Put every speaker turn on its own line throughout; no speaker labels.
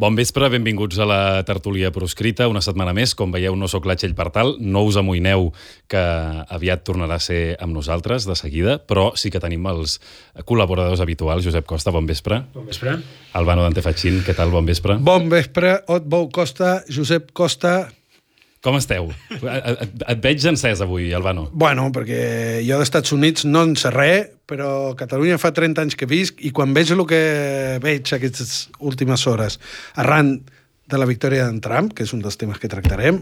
Bon vespre, benvinguts a la tertúlia proscrita. Una setmana més, com veieu, no sóc la Txell Partal, no us amoïneu que aviat tornarà a ser amb nosaltres, de seguida, però sí que tenim els col·laboradors habituals. Josep Costa, bon vespre.
Bon vespre.
Albano Dante Fachin, què tal? Bon vespre.
Bon vespre, Otbou Costa, Josep Costa.
Com esteu? Et veig encès avui, Albano.
Bueno, perquè jo dels Estats Units no en sé res, però Catalunya fa 30 anys que visc i quan veig el que veig aquestes últimes hores arran de la victòria d'en Trump, que és un dels temes que tractarem,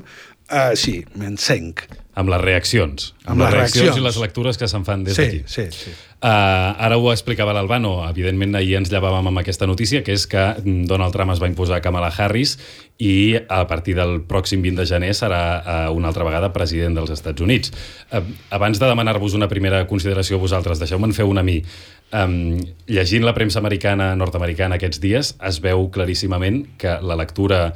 sí, m'encenc.
Amb les reaccions. Amb les reaccions i les lectures que se'n fan des d'aquí.
Sí.
Ara ho explicava l'Albano. Evidentment, ahir ens llevàvem amb aquesta notícia, que és que Donald Trump es va imposar a Kamala Harris i a partir del pròxim 20 de gener serà una altra vegada president dels Estats Units. Abans de demanar-vos una primera consideració a vosaltres, deixeu-me'n fer una a mi. Llegint la premsa nord-americana aquests dies, es veu claríssimament que la lectura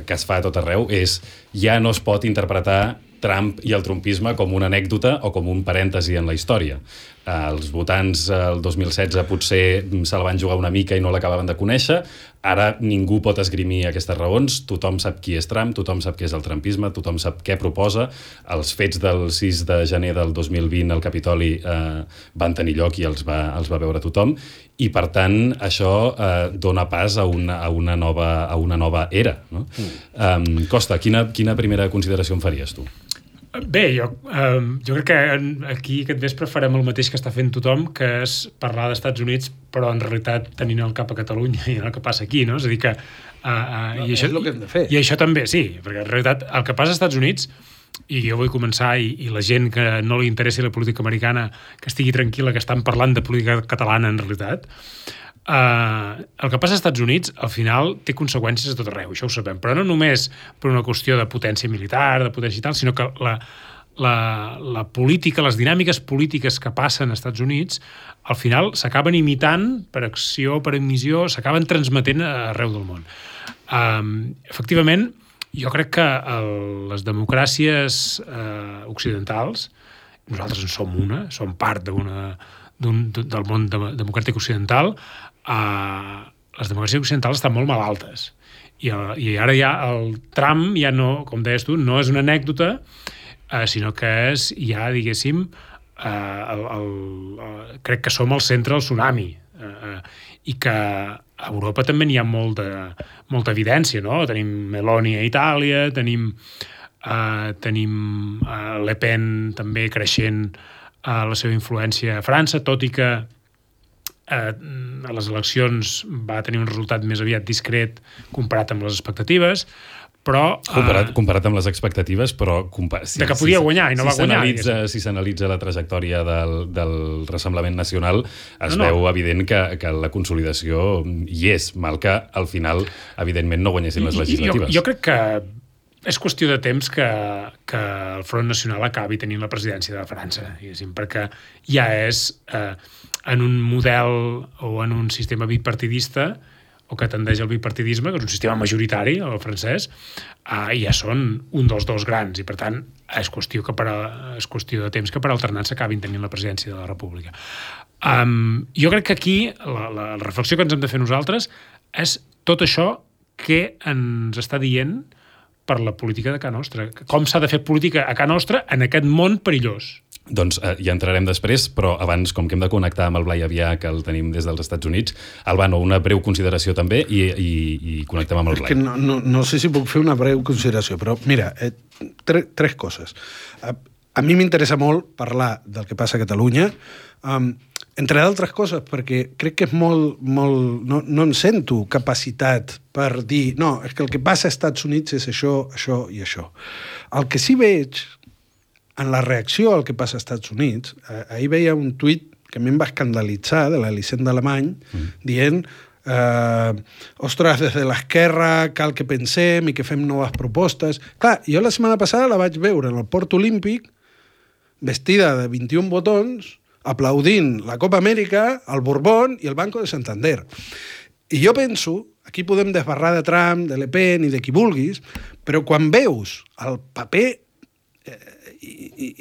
que es fa a tot arreu és ja no es pot interpretar Trump i el trumpisme com una anècdota o com un parèntesi en la història. Els votants el 2016 potser se la van jugar una mica i no l'acabaven de conèixer. Ara ningú pot esgrimir aquestes raons. Tothom sap qui és Trump, tothom sap què és el trumpisme, tothom sap què proposa. Els fets del 6 de gener del 2020 al Capitoli van tenir lloc i els va veure tothom. I, per tant, això dona pas a una nova era. No? Costa, quina primera consideració em faries tu?
Bé, jo crec que aquí aquest vespre farem el mateix que està fent tothom, que és parlar d'Estats Units, però en realitat tenint el cap a Catalunya i el que passa aquí, no? És a dir que...
és el que hem de fer.
I això també, sí, perquè en realitat el que passa als Estats Units, i jo vull començar, i la gent que no li interessi la política americana, que estigui tranquil·la, que estan parlant de política catalana en realitat, el que passa als Estats Units al final té conseqüències a tot arreu, això ho sabem, però no només per una qüestió de potència militar, de potència i tal, sinó que la política, les dinàmiques polítiques que passen als Estats Units al final s'acaben imitant per acció, per emissió, s'acaben transmetent arreu del món. Efectivament, jo crec que les democràcies occidentals, nosaltres en som som part del món democràtic occidental, les democràcies occidentals estan molt malaltes. I ara ja el Trump, ja no, com deies tu, no és una anècdota, sinó que és ja, diguéssim, crec que som al centre del tsunami. I que a Europa també n'hi ha molta evidència, no? Tenim Meloni a Itàlia, tenim Le Pen també creixent la seva influència a França, tot i que a les eleccions va tenir un resultat més aviat discret comparat amb les expectatives, però...
Comparat amb les expectatives, però...
de que podia guanyar i no va guanyar.
Si s'analitza la trajectòria del Rassemblement Nacional, es veu evident que la consolidació hi és, mal que al final, evidentment, no guanyessin les legislatives.
Jo crec que és qüestió de temps que el Front Nacional acabi tenint la presidència de França, perquè ja és en un model o en un sistema bipartidista o que tendeix al bipartidisme, que és un sistema majoritari, el francès, ja són un dels dos grans i, per tant, és qüestió de temps que per alternança acabin tenint la presidència de la República. Jo crec que aquí la reflexió que ens hem de fer nosaltres és tot això que ens està dient per la política de Ca Nostra. Com s'ha de fer política a Ca Nostra en aquest món perillós.
Doncs ja entrarem després, però abans, com que hem de connectar amb el Blai Avià, que el tenim des dels Estats Units, Albano, una breu consideració també i connectem amb el Blai.
No sé si puc fer una breu consideració, però mira, tres coses. A mi m'interessa molt parlar del que passa a Catalunya, entre d'altres coses, perquè crec que és molt... No en sento capacitat per dir no, és que el que passa als Estats Units és això, això i això. El que sí veig en la reacció al que passa als Estats Units, ahir veia un tuit que a mi em va escandalitzar, de l'Elisenda Alemany, dient ostres, des de l'esquerra cal que pensem i que fem noves propostes. Clar, jo la setmana passada la vaig veure en el Port Olímpic, vestida de 21 botons, aplaudint la Copa Amèrica, el Borbón i el Banco de Santander. I jo penso, aquí podem desbarrar de Trump, de Le Pen i de qui vulguis, però quan veus el paper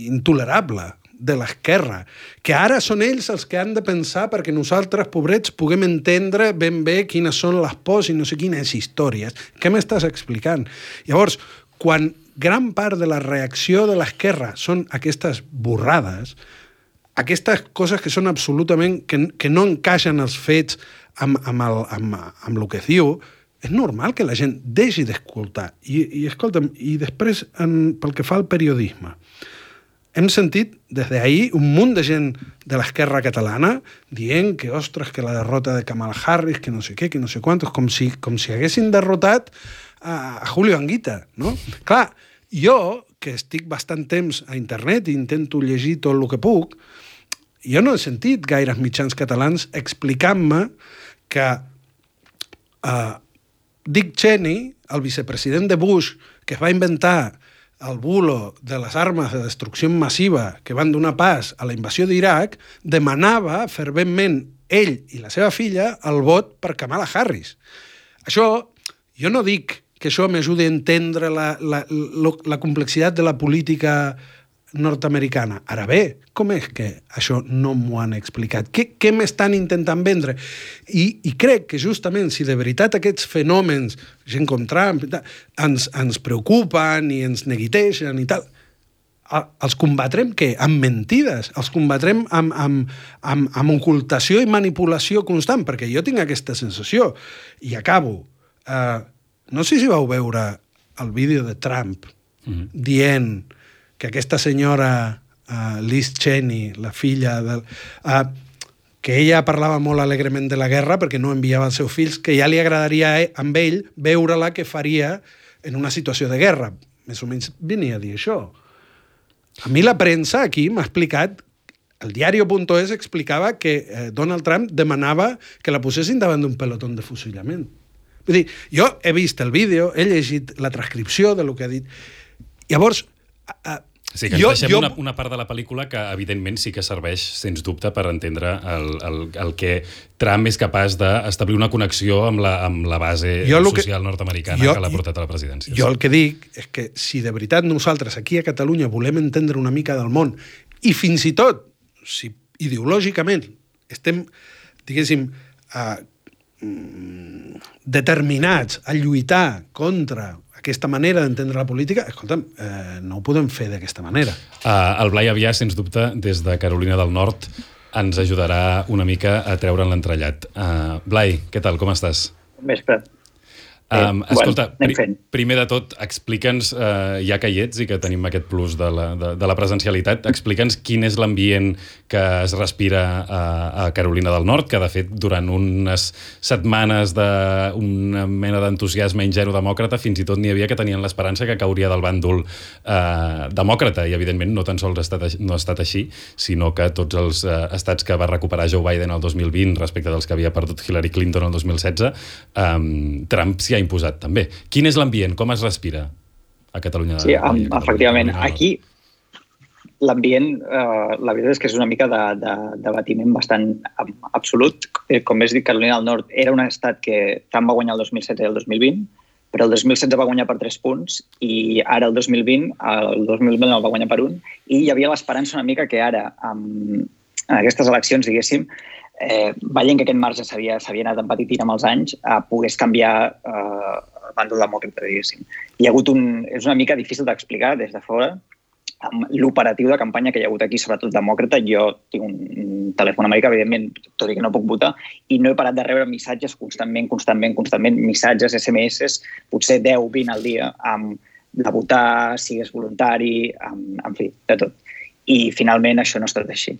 intolerable de l'esquerra, que ara són ells els que han de pensar perquè nosaltres, pobrets, puguem entendre ben bé quines són les pors i no sé quines històries. Què m'estàs explicant? Llavors, quan gran part de la reacció de l'esquerra són aquestes borrades, aquestes coses que són absolutament... que no encaixen els fets amb el que diu, és normal que la gent deixi d'escoltar. I escolta'm, i després, pel que fa al periodisme, hem sentit des d'ahir un munt de gent de l'esquerra catalana dient que, ostres, que la derrota de Kamala Harris, que no sé què, que no sé quantos, com si haguessin derrotat a Julio Anguita, no? Clar, jo, que estic bastant temps a internet i intento llegir tot el que puc, jo no he sentit gaires mitjans catalans explicant-me que Dick Cheney, el vicepresident de Bush, que es va inventar el bulo de les armes de destrucció massiva que van donar pas a la invasió d'Iraq, demanava ferventment ell i la seva filla el vot per Kamala Harris. Això, jo no dic que això m'ajudi a entendre la complexitat de la política nord-americana. Ara bé, com és que això no m'ho han explicat? Què m'estan intentant vendre? I crec que justament si de veritat aquests fenòmens, gent com Trump, ens preocupen i ens neguiteixen i tal, els combatrem què? Amb mentides, els combatrem amb ocultació i manipulació constant, perquè jo tinc aquesta sensació. I acabo. No sé si vau veure el vídeo de Trump dient que aquesta senyora Liz Cheney, la filla que ella parlava molt alegrement de la guerra perquè no enviava els seus fills, que ja li agradaria amb ell veure-la que faria en una situació de guerra. Més o menys venia a dir això. A mi la premsa aquí m'ha explicat, el diario.es explicava que Donald Trump demanava que la posessin davant d'un pelotón de fusillament. Vull dir, jo he vist el vídeo, he llegit la transcripció de lo que ha dit. Llavors,
sí, que ens deixem una part de la pel·lícula que, evidentment, sí que serveix, sens dubte, per entendre el que Trump és capaç d'establir una connexió amb la base social nord-americana que l'ha portat a la presidència.
Jo el que dic és que si de veritat nosaltres aquí a Catalunya volem entendre una mica del món i fins i tot, si ideològicament estem, diguéssim, determinats a lluitar contra aquesta manera d'entendre la política, escolta'm, no ho podem fer d'aquesta manera.
El Blai Avià, sens dubte, des de Carolina del Nord, ens ajudarà una mica a treure'n l'entrellat. Blai, què tal, com estàs?
Bon vespre.
Escolta, primer de tot, explica'ns, ja que hi ets i que tenim aquest plus de la presencialitat, explica'ns quin és l'ambient que es respira a Carolina del Nord, que de fet durant unes setmanes d'una mena d'entusiasme ingenu demòcrata fins i tot n'hi havia que tenien l'esperança que cauria del bàndol demòcrata, i evidentment no tan sols no ha estat així, sinó que tots els estats que va recuperar Joe Biden el 2020 respecte dels que havia perdut Hillary Clinton el 2016, Trump s'hi ha imposat també. Quin és l'ambient? Com es respira a Catalunya?
Sí, efectivament. Aquí l'ambient, la veritat és que és una mica de debatiment bastant absolut. Com has dit, Carolina del Nord era un estat que Trump va guanyar el 2016 i el 2020, però el 2016 va guanyar per 3 punts i ara el 2020 el va guanyar per 1, i hi havia l'esperança una mica que ara, en aquestes eleccions, diguéssim, veient que aquest marge s'havia anat empetitint amb els anys, pogués canviar el bàndol demòcrata, diguéssim. És una mica difícil d'explicar des de fora amb l'operatiu de campanya que hi ha hagut aquí, sobretot demòcrata. Jo tinc un telèfon americà, evidentment, tot i que no puc votar, i no he parat de rebre missatges constantment, missatges, SMS, potser 10-20 al dia, de votar, sigues voluntari, en fi, de tot. I finalment això no ha estat així.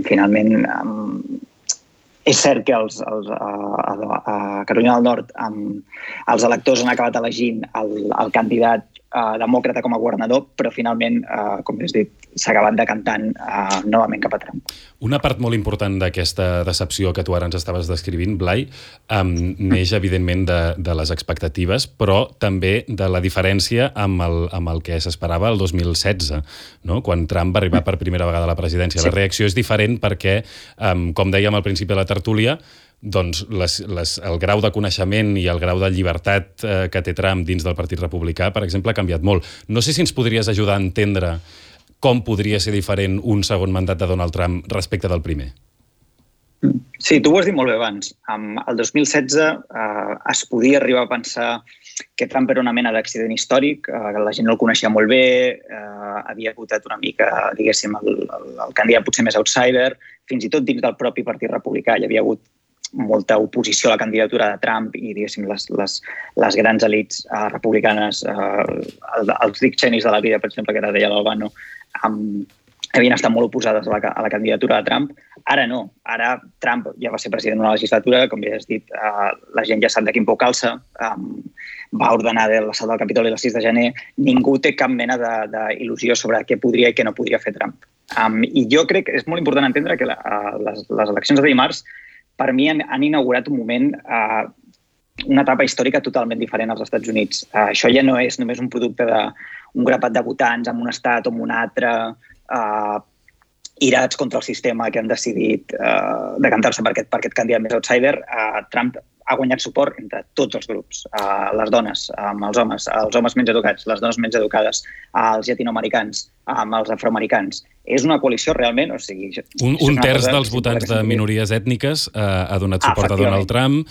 Finalment, és cert que a Carolina del Nord els electors han acabat elegint el candidat demòcrata com a governador, però finalment, com has dit, s'ha acabat decantant novament cap a Trump.
Una part molt important d'aquesta decepció que tu ara ens estaves descrivint, Blai, neix evidentment de les expectatives, però també de la diferència amb el que s'esperava el 2016, no? Quan Trump va arribar per primera vegada a la presidència. La reacció és diferent perquè, com dèiem al principi de la tertúlia, doncs el grau de coneixement i el grau de llibertat que té Trump dins del Partit Republicà, per exemple, ha canviat molt. No sé si ens podries ajudar a entendre com podria ser diferent un segon mandat de Donald Trump respecte del primer.
Sí, tu ho has dit molt bé abans. El 2016 es podia arribar a pensar que Trump era una mena d'accident històric, que la gent no el coneixia molt bé, havia votat una mica, diguéssim, el candidat potser més outsider, fins i tot dins del propi Partit Republicà hi havia hagut molta oposició a la candidatura de Trump i, diguéssim, les grans elits republicanes, els Dick Cheneys de la vida, per exemple, que ara deia l'Albano, havien estat molt oposades a la candidatura de Trump. Ara no. Ara Trump ja va ser president d'una legislatura, com ja has dit, la gent ja sap de quin pou calça, va ordenar l'assalt del Capitoli el 6 de gener, ningú té cap mena d'il·lusió sobre què podria i què no podria fer Trump. I jo crec que és molt important entendre que les eleccions de dimarts per mi han inaugurat un moment, una etapa històrica totalment diferent als Estats Units. Això ja no és només un producte d'un grapat de votants en un estat o en un altre, irats contra el sistema que han decidit decantar-se per aquest candidat més outsider. Trump ha guanyat suport entre tots els grups, les dones, els homes menys educats, les dones menys educades, els llatinoamericans, els afroamericans. És una coalició realment... O sigui,
un terç dels votants de minories ètniques ha donat suport a Donald Trump.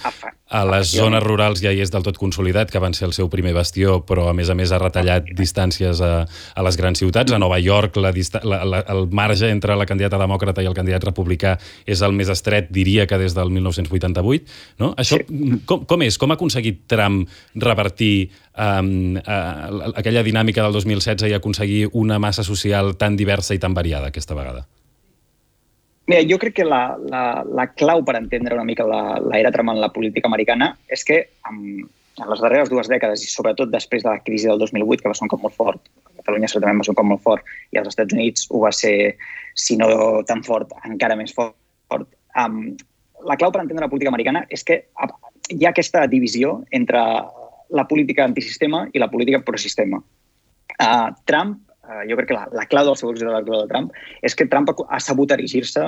A les zones rurals ja hi és del tot consolidat, que van ser el seu primer bastió, però a més ha retallat distàncies a les grans ciutats. A Nova York el marge entre la candidata demòcrata i el candidat republicà és el més estret, diria que des del 1988. No? Això com és? Com ha aconseguit Trump revertir aquella dinàmica del 2016 i aconseguir una massa social tan diversa i tan variada aquesta vegada?
Mira, jo crec que la clau per entendre una mica l'era Trump en la política americana és que en les darreres 2 dècades, i sobretot després de la crisi del 2008, que va ser un cop molt fort, a Catalunya certament va ser un cop molt fort, i als Estats Units ho va ser, si no tan fort, encara més fort. La clau per entendre la política americana és que hi ha aquesta divisió entre la política antisistema i la política prosistema. Trump, jo crec que la clau del seu èxit electoral de Trump és que Trump ha sabut erigir-se,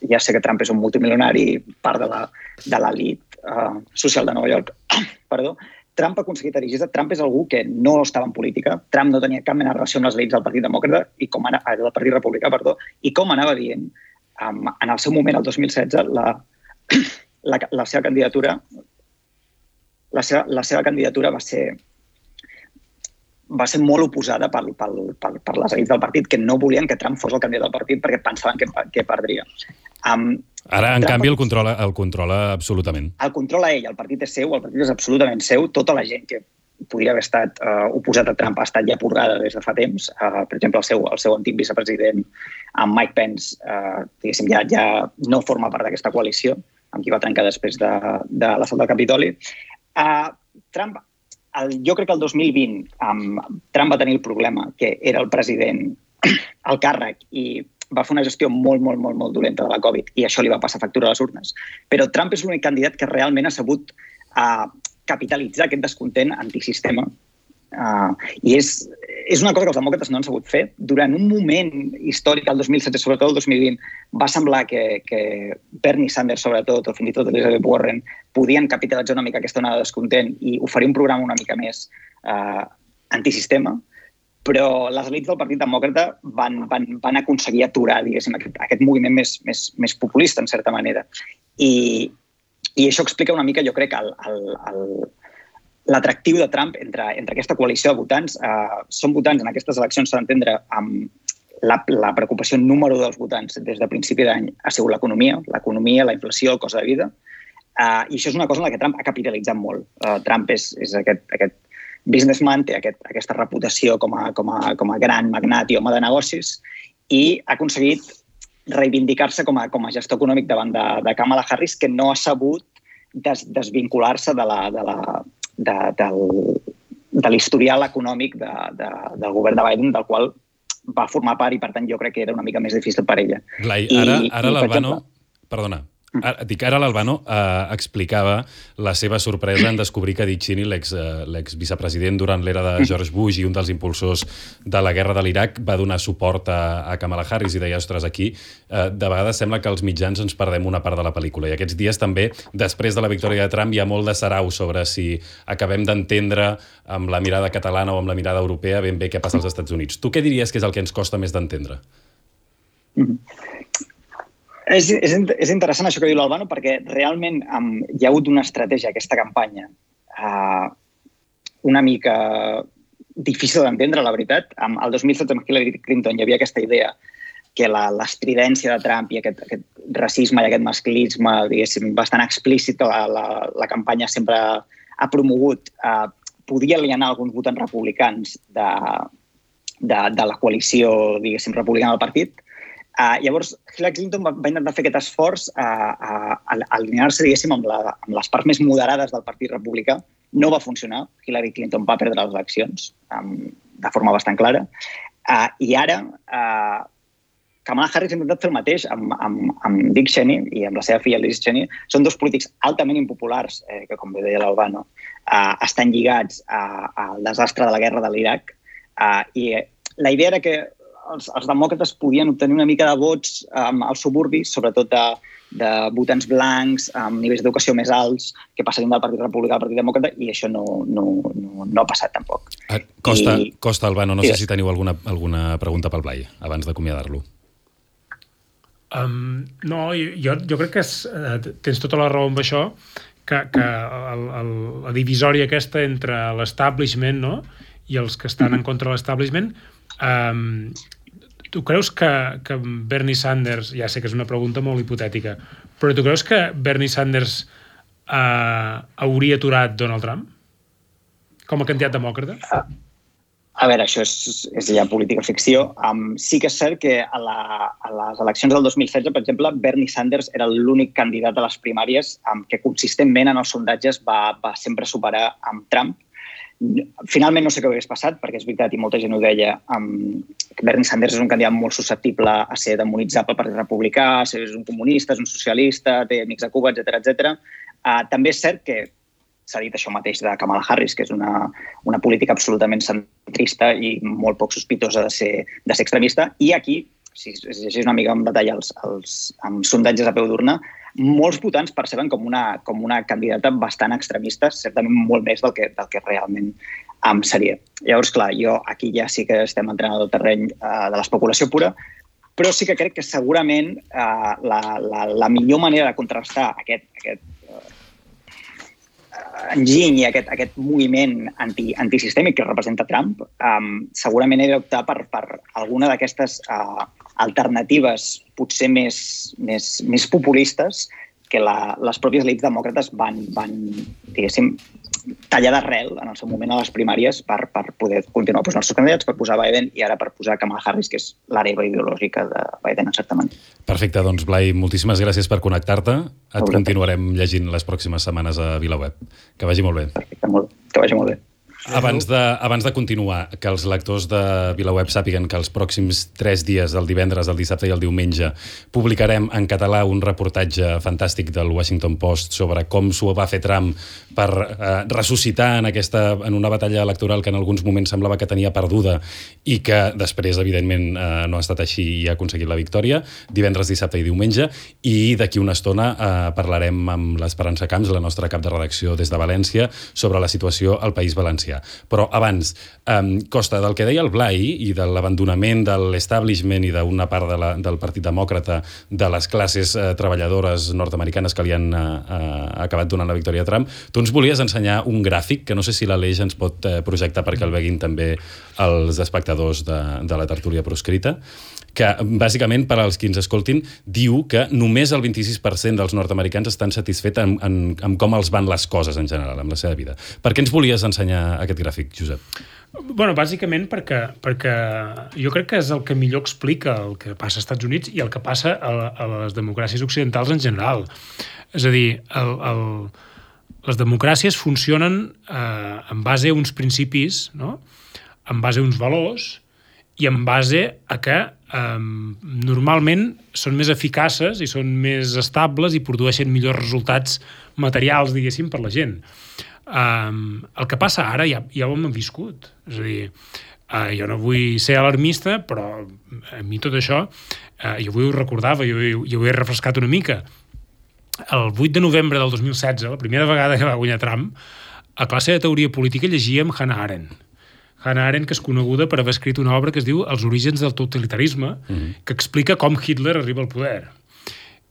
ja sé que Trump és un multimilionari, part de l'elit social de Nova York, perdó, Trump ha aconseguit erigir-se. Trump és algú que no estava en política, Trump no tenia cap mena de relació amb les elits del Partit Demòcrata del Partit Republicà, i com anava dient, en el seu moment, el 2016, la seva candidatura va ser molt oposada per les elits del partit, que no volien que Trump fos el candidat del partit perquè pensaven que perdria.
Ara, en canvi, el controla absolutament.
El controla ell, el partit és seu, el partit és absolutament seu. Tota la gent que podria haver estat oposat a Trump ha estat ja purgada des de fa temps. Per exemple, el seu antic vicepresident, Mike Pence, diguéssim, ja no forma part d'aquesta coalició, amb qui va trencar després de l'assalt del Capitoli. Trump, jo crec que el 2020 Trump va tenir el problema que era el president al càrrec i va fer una gestió molt, molt, molt, molt dolenta de la Covid i això li va passar factura a les urnes. Però Trump és l'únic candidat que realment ha sabut capitalitzar aquest descontent antisistema. I és una cosa que els demòcrates no han sabut fer. Durant un moment històric, el 2017, sobretot el 2020, va semblar que Bernie Sanders, sobretot, o fins i tot Elizabeth Warren, podien capitalitzar una mica aquesta onada de descontent i oferir un programa una mica més antisistema, però les elits del Partit Demòcrata van aconseguir aturar, diguéssim, aquest moviment més populista, en certa manera. I això explica una mica, jo crec, l'atractiu de Trump entre aquesta coalició de votants. Són votants en aquestes eleccions, s'ha d'entendre, amb la preocupació número 1 dels votants des de principi d'any ha sigut l'economia, la inflació, el cost de vida. I això és una cosa en la que Trump ha capitalitzat molt. Trump és aquest businessman, té aquesta reputació com a gran magnat i home de negocis i ha aconseguit reivindicar-se com a gestor econòmic davant de Kamala Harris, que no ha sabut desvincular-se de l'historial econòmic del govern de Biden, del qual va formar part i, per tant, jo crec que era una mica més difícil per ella.
Blai, ara l'Albano... Perdona. Ara l'Albano explicava la seva sorpresa en descobrir que Dick Cheney, l'exvicepresident durant l'era de George Bush i un dels impulsors de la guerra de l'Iraq, va donar suport a Kamala Harris i deia, ostres, aquí de vegades sembla que els mitjans ens perdem una part de la pel·lícula. I aquests dies també, després de la victòria de Trump, hi ha molt de sarau sobre si acabem d'entendre amb la mirada catalana o amb la mirada europea ben bé què passa als Estats Units. Tu què diries que és el que ens costa més d'entendre?
És interessant això que diu l'Albano perquè realment hi ha hagut una estratègia aquesta campanya una mica difícil d'entendre, la veritat. El 2017 amb Hillary Clinton hi havia aquesta idea que l'estridència de Trump i aquest racisme i aquest masclisme, diguéssim, bastant explícit la campanya sempre ha promogut, podia alienar alguns votants republicans de la coalició, diguéssim, republicana del partit. Llavors, Hillary Clinton va intentar fer aquest esforç a alinear-se, diguéssim, amb les parts més moderades del Partit Republicà. No va funcionar. Hillary Clinton va perdre les eleccions de forma bastant clara. I ara, Kamala Harris ha intentat fer el mateix amb Dick Cheney i amb la seva filla Liz Cheney. Són dos polítics altament impopulars, que, com bé deia l'Albano, estan lligats al desastre de la guerra de l'Iraq. I la idea era que els demòcrates podien obtenir una mica de vots als suburbis, sobretot de votants blancs, amb nivells d'educació més alts, que passarien del Partit Republicà al Partit Demòcrata, i això no ha passat tampoc.
Costa, Albano, no sé si teniu alguna pregunta pel Blai, abans d'acomiadar-lo.
No, jo crec que tens tota la raó amb això, que la divisòria aquesta entre l'establishment, no?, i els que estan en contra de l'establishment. Tu creus que Bernie Sanders, ja sé que és una pregunta molt hipotètica, però tu creus que Bernie Sanders hauria aturat Donald Trump com a candidat demòcrata?
A veure, això és ja política ficció. Sí que és cert que a les eleccions del 2016, per exemple, Bernie Sanders era l'únic candidat a les primàries que consistentment en els sondatges va sempre superar amb Trump. Finalment no sé què hagués passat, perquè és veritat, i molta gent ho deia, que Bernie Sanders és un candidat molt susceptible a ser demonitzat pel Partit Republicà, és un comunista, és un socialista, té amics a Cuba, etc. També és cert que s'ha dit això mateix de Kamala Harris, que és una política absolutament centrista i molt poc sospitosa de ser extremista. I aquí, si es llegeix una mica en detall els sondatges a peu d'urna, molts votants perceben com una candidata bastant extremista, certament molt més del que realment seria. Llavors, clar, jo aquí ja sí que estem entrant al terreny de l'especulació pura, però sí que crec que segurament la millor manera de contrastar aquest enginy i aquest moviment antisistèmic que representa Trump, segurament he d'optar per alguna d'aquestes alternatives potser més populistes que les pròpies elits demòcrates van diguéssim, tallar d'arrel en el seu moment a les primàries per poder continuar posant els seus candidats, per posar Biden i ara per posar Kamala Harris, que és l'hereva ideològica de Biden, en certa manera.
Perfecte, doncs Blai, moltíssimes gràcies per connectar-te. Et continuarem llegint les pròximes setmanes a VilaWeb. Que vagi molt bé.
Perfecte, que vagi molt bé.
Abans de continuar, que els lectors de VilaWeb sàpiguen que els pròxims 3 dies, el divendres, el dissabte i el diumenge, publicarem en català un reportatge fantàstic del Washington Post sobre com s'ho va fer Trump per ressuscitar en una batalla electoral que en alguns moments semblava que tenia perduda i que després, evidentment, no ha estat així i ha aconseguit la victòria, divendres, dissabte i diumenge, i d'aquí una estona parlarem amb l'Esperança Camps, la nostra cap de redacció des de València, sobre la situació al País Valencià. Però abans, Costa, del que deia el Blai i de l'abandonament de l'establishment i d'una part del Partit Demòcrata, de les classes treballadores nord-americanes que li han acabat donant la victòria a Trump, tu ens volies ensenyar un gràfic que no sé si l'Aleix ens pot projectar perquè el veguin també els espectadors de la tertúlia proscrita, que bàsicament, per als qui ens escoltin, diu que només el 26% dels nord-americans estan satisfets amb com els van les coses en general, amb la seva vida. Per què ens volies ensenyar aquest gràfic, Josep?
Bueno, bàsicament perquè jo crec que és el que millor explica el que passa als Estats Units i el que passa a les democràcies occidentals en general. És a dir, les democràcies funcionen en base a uns principis, no?, en base a uns valors, i en base a que normalment són més eficaces i són més estables i produeixen millors resultats materials, diguéssim, per la gent. El que passa ara ja ho hem viscut. És a dir, jo no vull ser alarmista, però a mi tot això, jo avui ho recordava, jo ho he refrescat una mica. El 8 de novembre del 2016, la primera vegada que va guanyar Trump, a classe de teoria política llegíem Hannah Arendt. Hannah Arendt, que és coneguda per haver escrit una obra que es diu Els orígens del totalitarisme, que explica com Hitler arriba al poder.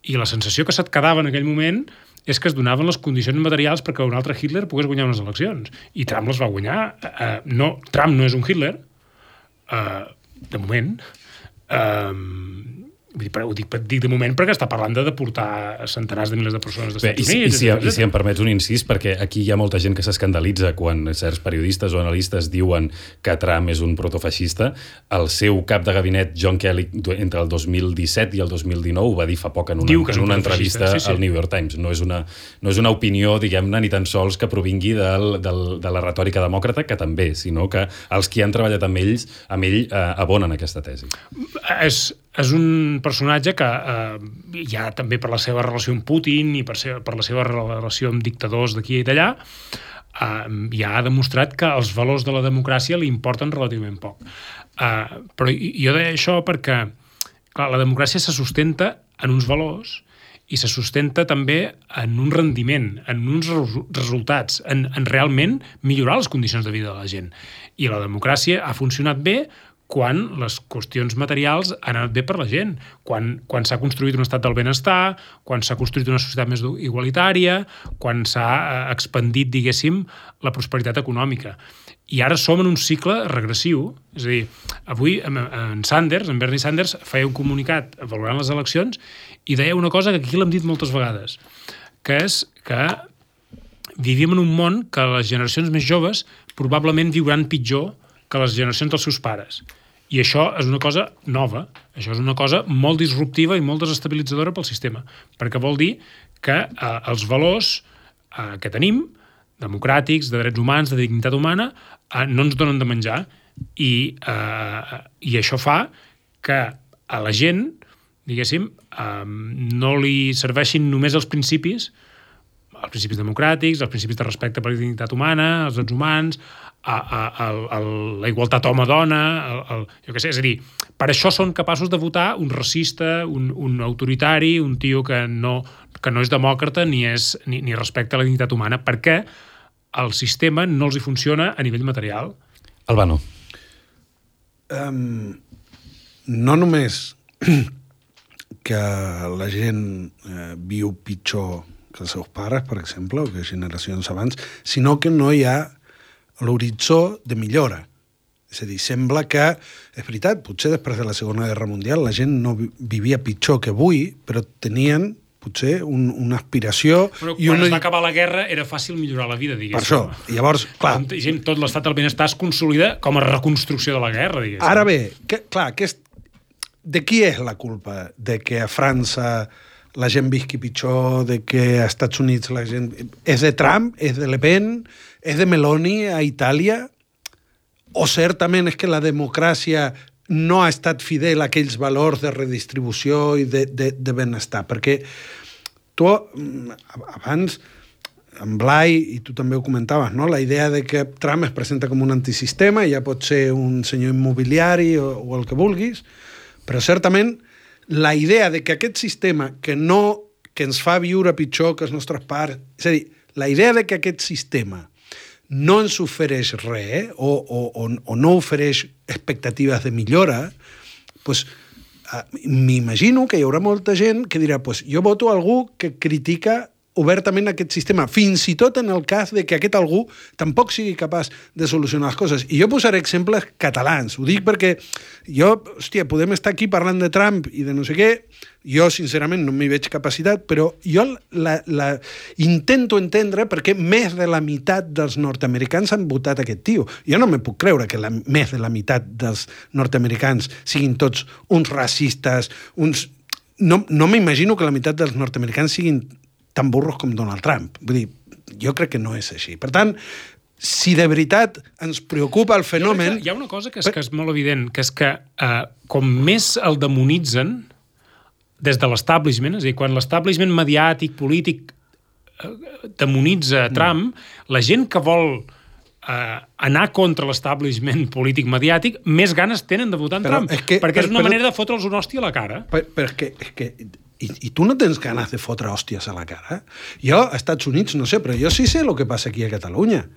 I la sensació que se't quedava en aquell moment és que es donaven les condicions materials perquè un altre Hitler pogués guanyar unes eleccions. I Trump les va guanyar. Trump no és un Hitler, de moment. Ho dic de moment perquè està parlant de deportar centenars de milers de persones dels Estats Units.
I si em permets un incís, perquè aquí hi ha molta gent que s'escandalitza quan certs periodistes o analistes diuen que Trump és un protofeixista. El seu cap de gabinet, John Kelly, entre el 2017 i el 2019 ho va dir fa poc en una entrevista al New York Times. No és una opinió, diguem-ne, ni tan sols que provingui de la retòrica demòcrata, que també, sinó que els qui han treballat amb ell abonen aquesta tesi.
És un personatge que ja també per la seva relació amb Putin i per la seva relació amb dictadors d'aquí i d'allà ja ha demostrat que els valors de la democràcia li importen relativament poc. Però jo deia això perquè clar, la democràcia se sustenta en uns valors i se sustenta també en un rendiment, en uns resultats, en realment millorar les condicions de vida de la gent. I la democràcia ha funcionat bé quan les qüestions materials han anat bé per la gent, quan s'ha construït un estat del benestar, quan s'ha construït una societat més igualitària, quan s'ha expandit, diguéssim, la prosperitat econòmica. I ara som en un cicle regressiu, és a dir, avui en Bernie Sanders, feia un comunicat valorant les eleccions i deia una cosa que aquí l'hem dit moltes vegades, que és que vivim en un món que les generacions més joves probablement viuran pitjor que les generacions dels seus pares. I això és una cosa nova, això és una cosa molt disruptiva i molt desestabilitzadora pel sistema, perquè vol dir que els valors que tenim, democràtics, de drets humans, de dignitat humana, no ens donen de menjar i això fa que a la gent, diguéssim, no li serveixin només els principis democràtics, els principis de respecte per la dignitat humana, els drets humans, la igualtat home-dona, jo què sé, és a dir, per això són capaços de votar un racista, un autoritari, un tio que no és demòcrata ni respecta la dignitat humana, perquè el sistema no els hi funciona a nivell material.
Albano.
No només que la gent viu pitjor que els seus pares, per exemple, o que generacions abans, sinó que no hi ha l'horitzó de millora. És a dir, sembla que, és veritat, potser després de la Segona Guerra Mundial la gent no vivia pitjor que avui, però tenien potser una aspiració...
Però quan es va acabar la guerra era fàcil millorar la vida, diguéssim.
Per això, llavors, clar...
Tot l'estat del benestar es consolida com a reconstrucció de la guerra, diguéssim.
Ara bé, de qui és la culpa? De que a França la gent visqui pitjor, de que a Estats Units la gent... És de Trump? És de Le Pen? És de Meloni a Itàlia? O certament és que la democràcia no ha estat fidel a aquells valors de redistribució i de benestar? Perquè tu, abans, en Blai, i tu també ho comentaves, no? La idea de que Trump es presenta com un antisistema, ja pot ser un senyor immobiliari o el que vulguis, però certament la idea de que aquest sistema que ens fa viure pitjor que els nostres pares, és a dir, la idea de que aquest sistema no ens ofereix res o no ofereix expectatives de millora, doncs m'imagino que hi haurà molta gent que dirà jo voto algú que critica obertament aquest sistema, fins i tot en el cas de que aquest algú tampoc sigui capaç de solucionar les coses. I jo posaré exemples catalans. Ho dic perquè podem estar aquí parlant de Trump i de no sé què, jo sincerament no m'hi veig capacitat, però jo intento entendre perquè més de la meitat dels nord-americans han votat aquest tio. Jo no me puc creure que més de la meitat dels nord-americans siguin tots uns racistes, No m'imagino que la meitat dels nord-americans siguin tan burros com Donald Trump. Vull dir, jo crec que no és així. Per tant, si de veritat ens preocupa el fenomen...
Hi ha una cosa que és molt evident, que és que com més el demonitzen des de l'establishment, és a dir, quan l'establishment mediàtic, polític, demonitza Trump, la gent que vol anar contra l'establishment polític mediàtic, més ganes tenen de votar en Trump, perquè és una manera de fotre'ls una hòstia a la cara.
Però és que I tu no tens ganes de fotre hòsties a la cara? Jo, als Estats Units, no sé, però jo sí sé el que passa aquí a Catalunya.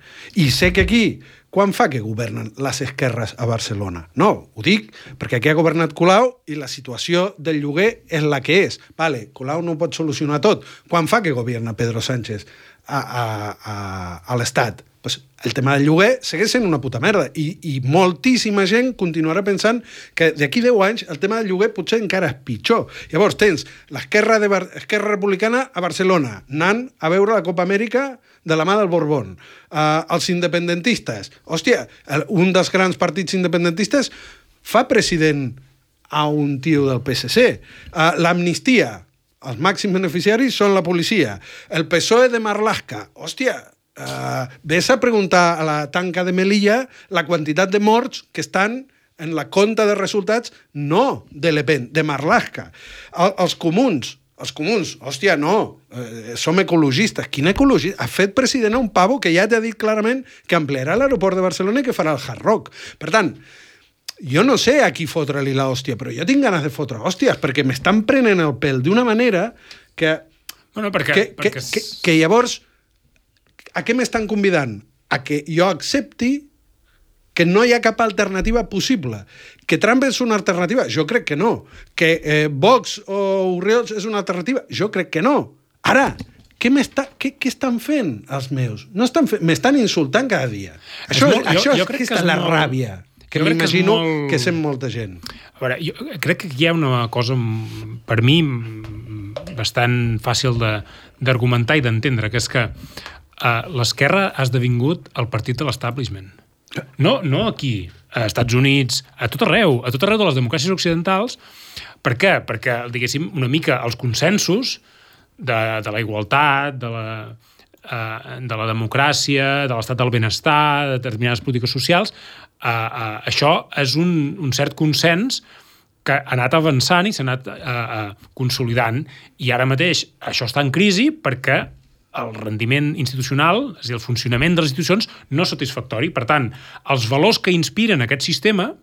I sé que aquí, quan fa que governen les esquerres a Barcelona? No, ho dic perquè aquí ha governat Colau i la situació del lloguer és la que és. Vale, Colau no ho pot solucionar tot. Quan fa que governa Pedro Sánchez a l'Estat? Pues el tema del lloguer segueix sent una puta merda i moltíssima gent continuarà pensant que d'aquí 10 anys el tema del lloguer potser encara és pitjor. Llavors tens l'esquerra republicana a Barcelona anant a veure la Copa Amèrica de la mà del Borbón. Els independentistes. Hòstia, un dels grans partits independentistes fa president a un tio del PSC. L'amnistia. Els màxims beneficiaris són la policia. El PSOE de Marlaska. Hòstia, ves a preguntar a la tanca de Melilla la quantitat de morts que estan en la compta de resultats, no de Le Pen, de Marlaska. Els comuns, hòstia, no, som ecologistes. Quin ecologista? Ha fet president a un pavo que ja t'ha dit clarament que ampliarà l'aeroport de Barcelona i que farà el Hard Rock. Per tant, jo no sé a qui fotre-li l'hòstia, però jo tinc ganes de fotre hòsties, perquè m'estan prenent el pèl d'una manera que...
Bueno,
que llavors... A què m'estan convidant? A que jo accepti que no hi ha cap alternativa possible. Que Trump és una alternativa? Jo crec que no. Que Vox o Oriols és una alternativa? Jo crec que no. Ara, què estan fent els meus? No estan fent, m'estan insultant cada dia. Això és la ràbia que m'imagino que sent molta gent.
A veure, jo crec que hi ha una cosa, per mi, bastant fàcil d'argumentar i d'entendre, que és que l'esquerra ha esdevingut el partit de l'establishment. No aquí, a Estats Units, a tot arreu de les democràcies occidentals. Per què? Perquè, diguéssim, una mica els consensos de la igualtat, de la democràcia, de l'estat del benestar, de determinades polítiques socials, això és un cert consens que ha anat avançant i s'ha anat consolidant. I ara mateix això està en crisi perquè el rendiment institucional, és a dir, el funcionament de les institucions, no és satisfactori. Per tant, els valors que inspiren aquest sistema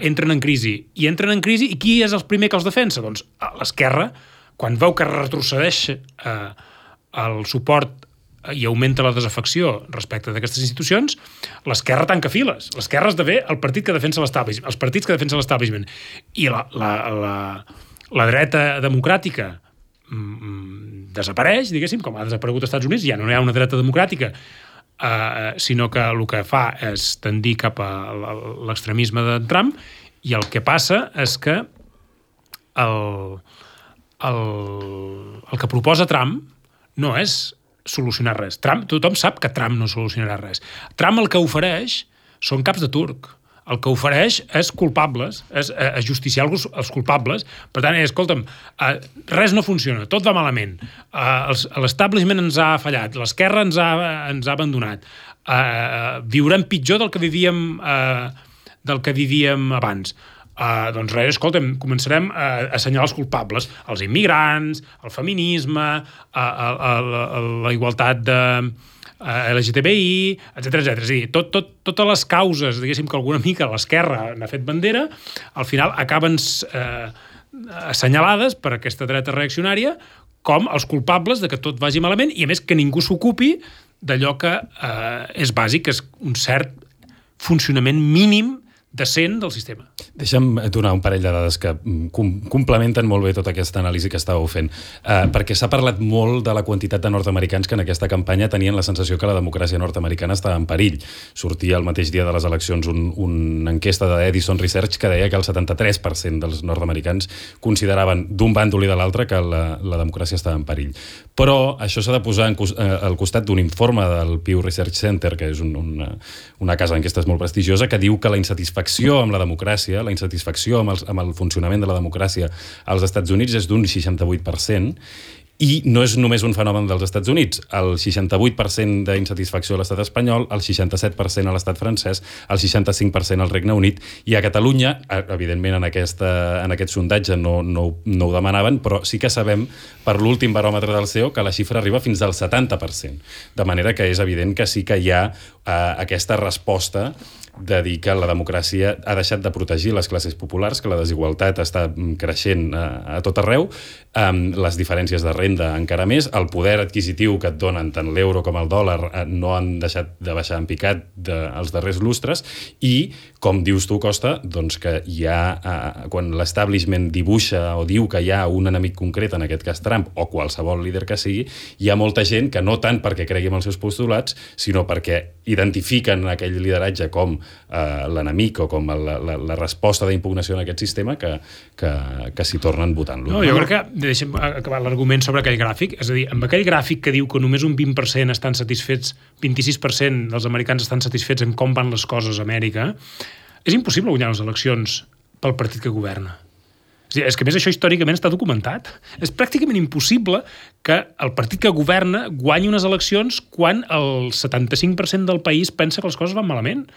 entren en crisi. I entren en crisi, i qui és el primer que els defensa? Doncs l'esquerra, quan veu que retrocedeix el suport i augmenta la desafecció respecte d'aquestes institucions, l'esquerra tanca files. L'esquerra esdevé el partit que defensa l'establishment, els partits que defensen l'establishment. I la dreta democràtica desapareix, diguéssim, com ha desaparegut als Estats Units, ja no hi ha una dreta democràtica, sinó que el que fa és tendir cap a l'extremisme de Trump, i el que passa és que el que proposa Trump no és solucionar res. Tothom sap que Trump no solucionarà res. Trump el que ofereix són caps de turc. El que ofereix és culpables, és justiciar els culpables. Per tant, escolta'm, res no funciona, tot va malament. L'establishment ens ha fallat, l'esquerra ens ha abandonat. Viurem pitjor del que vivíem abans. Doncs res, escolta'm, començarem a assenyalar els culpables, els immigrants, el feminisme, la igualtat de LGTBI, etc. És a dir, totes les causes, diguéssim, que alguna mica l'esquerra n'ha fet bandera, al final acaben assenyalades per aquesta dreta reaccionària com els culpables de que tot vagi malament, i a més que ningú s'ocupi d'allò que és bàsic, que és un cert funcionament mínim decent del sistema.
Deixa'm donar un parell de dades que complementen molt bé tota aquesta anàlisi que estàveu fent, perquè s'ha parlat molt de la quantitat de nord-americans que en aquesta campanya tenien la sensació que la democràcia nord-americana estava en perill. Sortia el mateix dia de les eleccions una enquesta d'Edison Research que deia que el 73% dels nord-americans consideraven d'un bàndol i de l'altre que la democràcia estava en perill. Però això s'ha de posar al costat d'un informe del Pew Research Center, que és una casa d'enquestes molt prestigiosa, que diu que la insatisfacció amb la democràcia, la insatisfacció amb el funcionament de la democràcia als Estats Units és d'un 68%, I no és només un fenomen dels Estats Units. El 68% d'insatisfacció a l'estat espanyol, el 67% a l'estat francès, el 65% al Regne Unit, i a Catalunya, evidentment en aquest sondatge no ho demanaven, però sí que sabem per l'últim baròmetre del CEO que la xifra arriba fins al 70%. De manera que és evident que sí que hi ha aquesta resposta de dir que la democràcia ha deixat de protegir les classes populars, que la desigualtat està creixent a tot arreu, les diferències de renda encara més, el poder adquisitiu que et donen tant l'euro com el dòlar no han deixat de baixar en picat els darrers lustres, i, com dius tu, Costa, doncs que hi ha, quan l'establishment dibuixa o diu que hi ha un enemic concret, en aquest cas Trump, o qualsevol líder que sigui, hi ha molta gent que no tant perquè cregui en els seus postulats, sinó perquè identifiquen aquell lideratge com l'enemic o com la resposta d'impugnació en aquest sistema que s'hi tornen votant-lo.
No, jo crec que, deixem acabar l'argument sobre aquell gràfic, és a dir, amb aquell gràfic que diu que només un 20% estan satisfets, 26% dels americans estan satisfets en com van les coses a Amèrica, és impossible guanyar les eleccions pel partit que governa. És que, a més, això històricament està documentat. És pràcticament impossible que el partit que governa guanyi unes eleccions quan el 75% del país pensa que les coses van malament.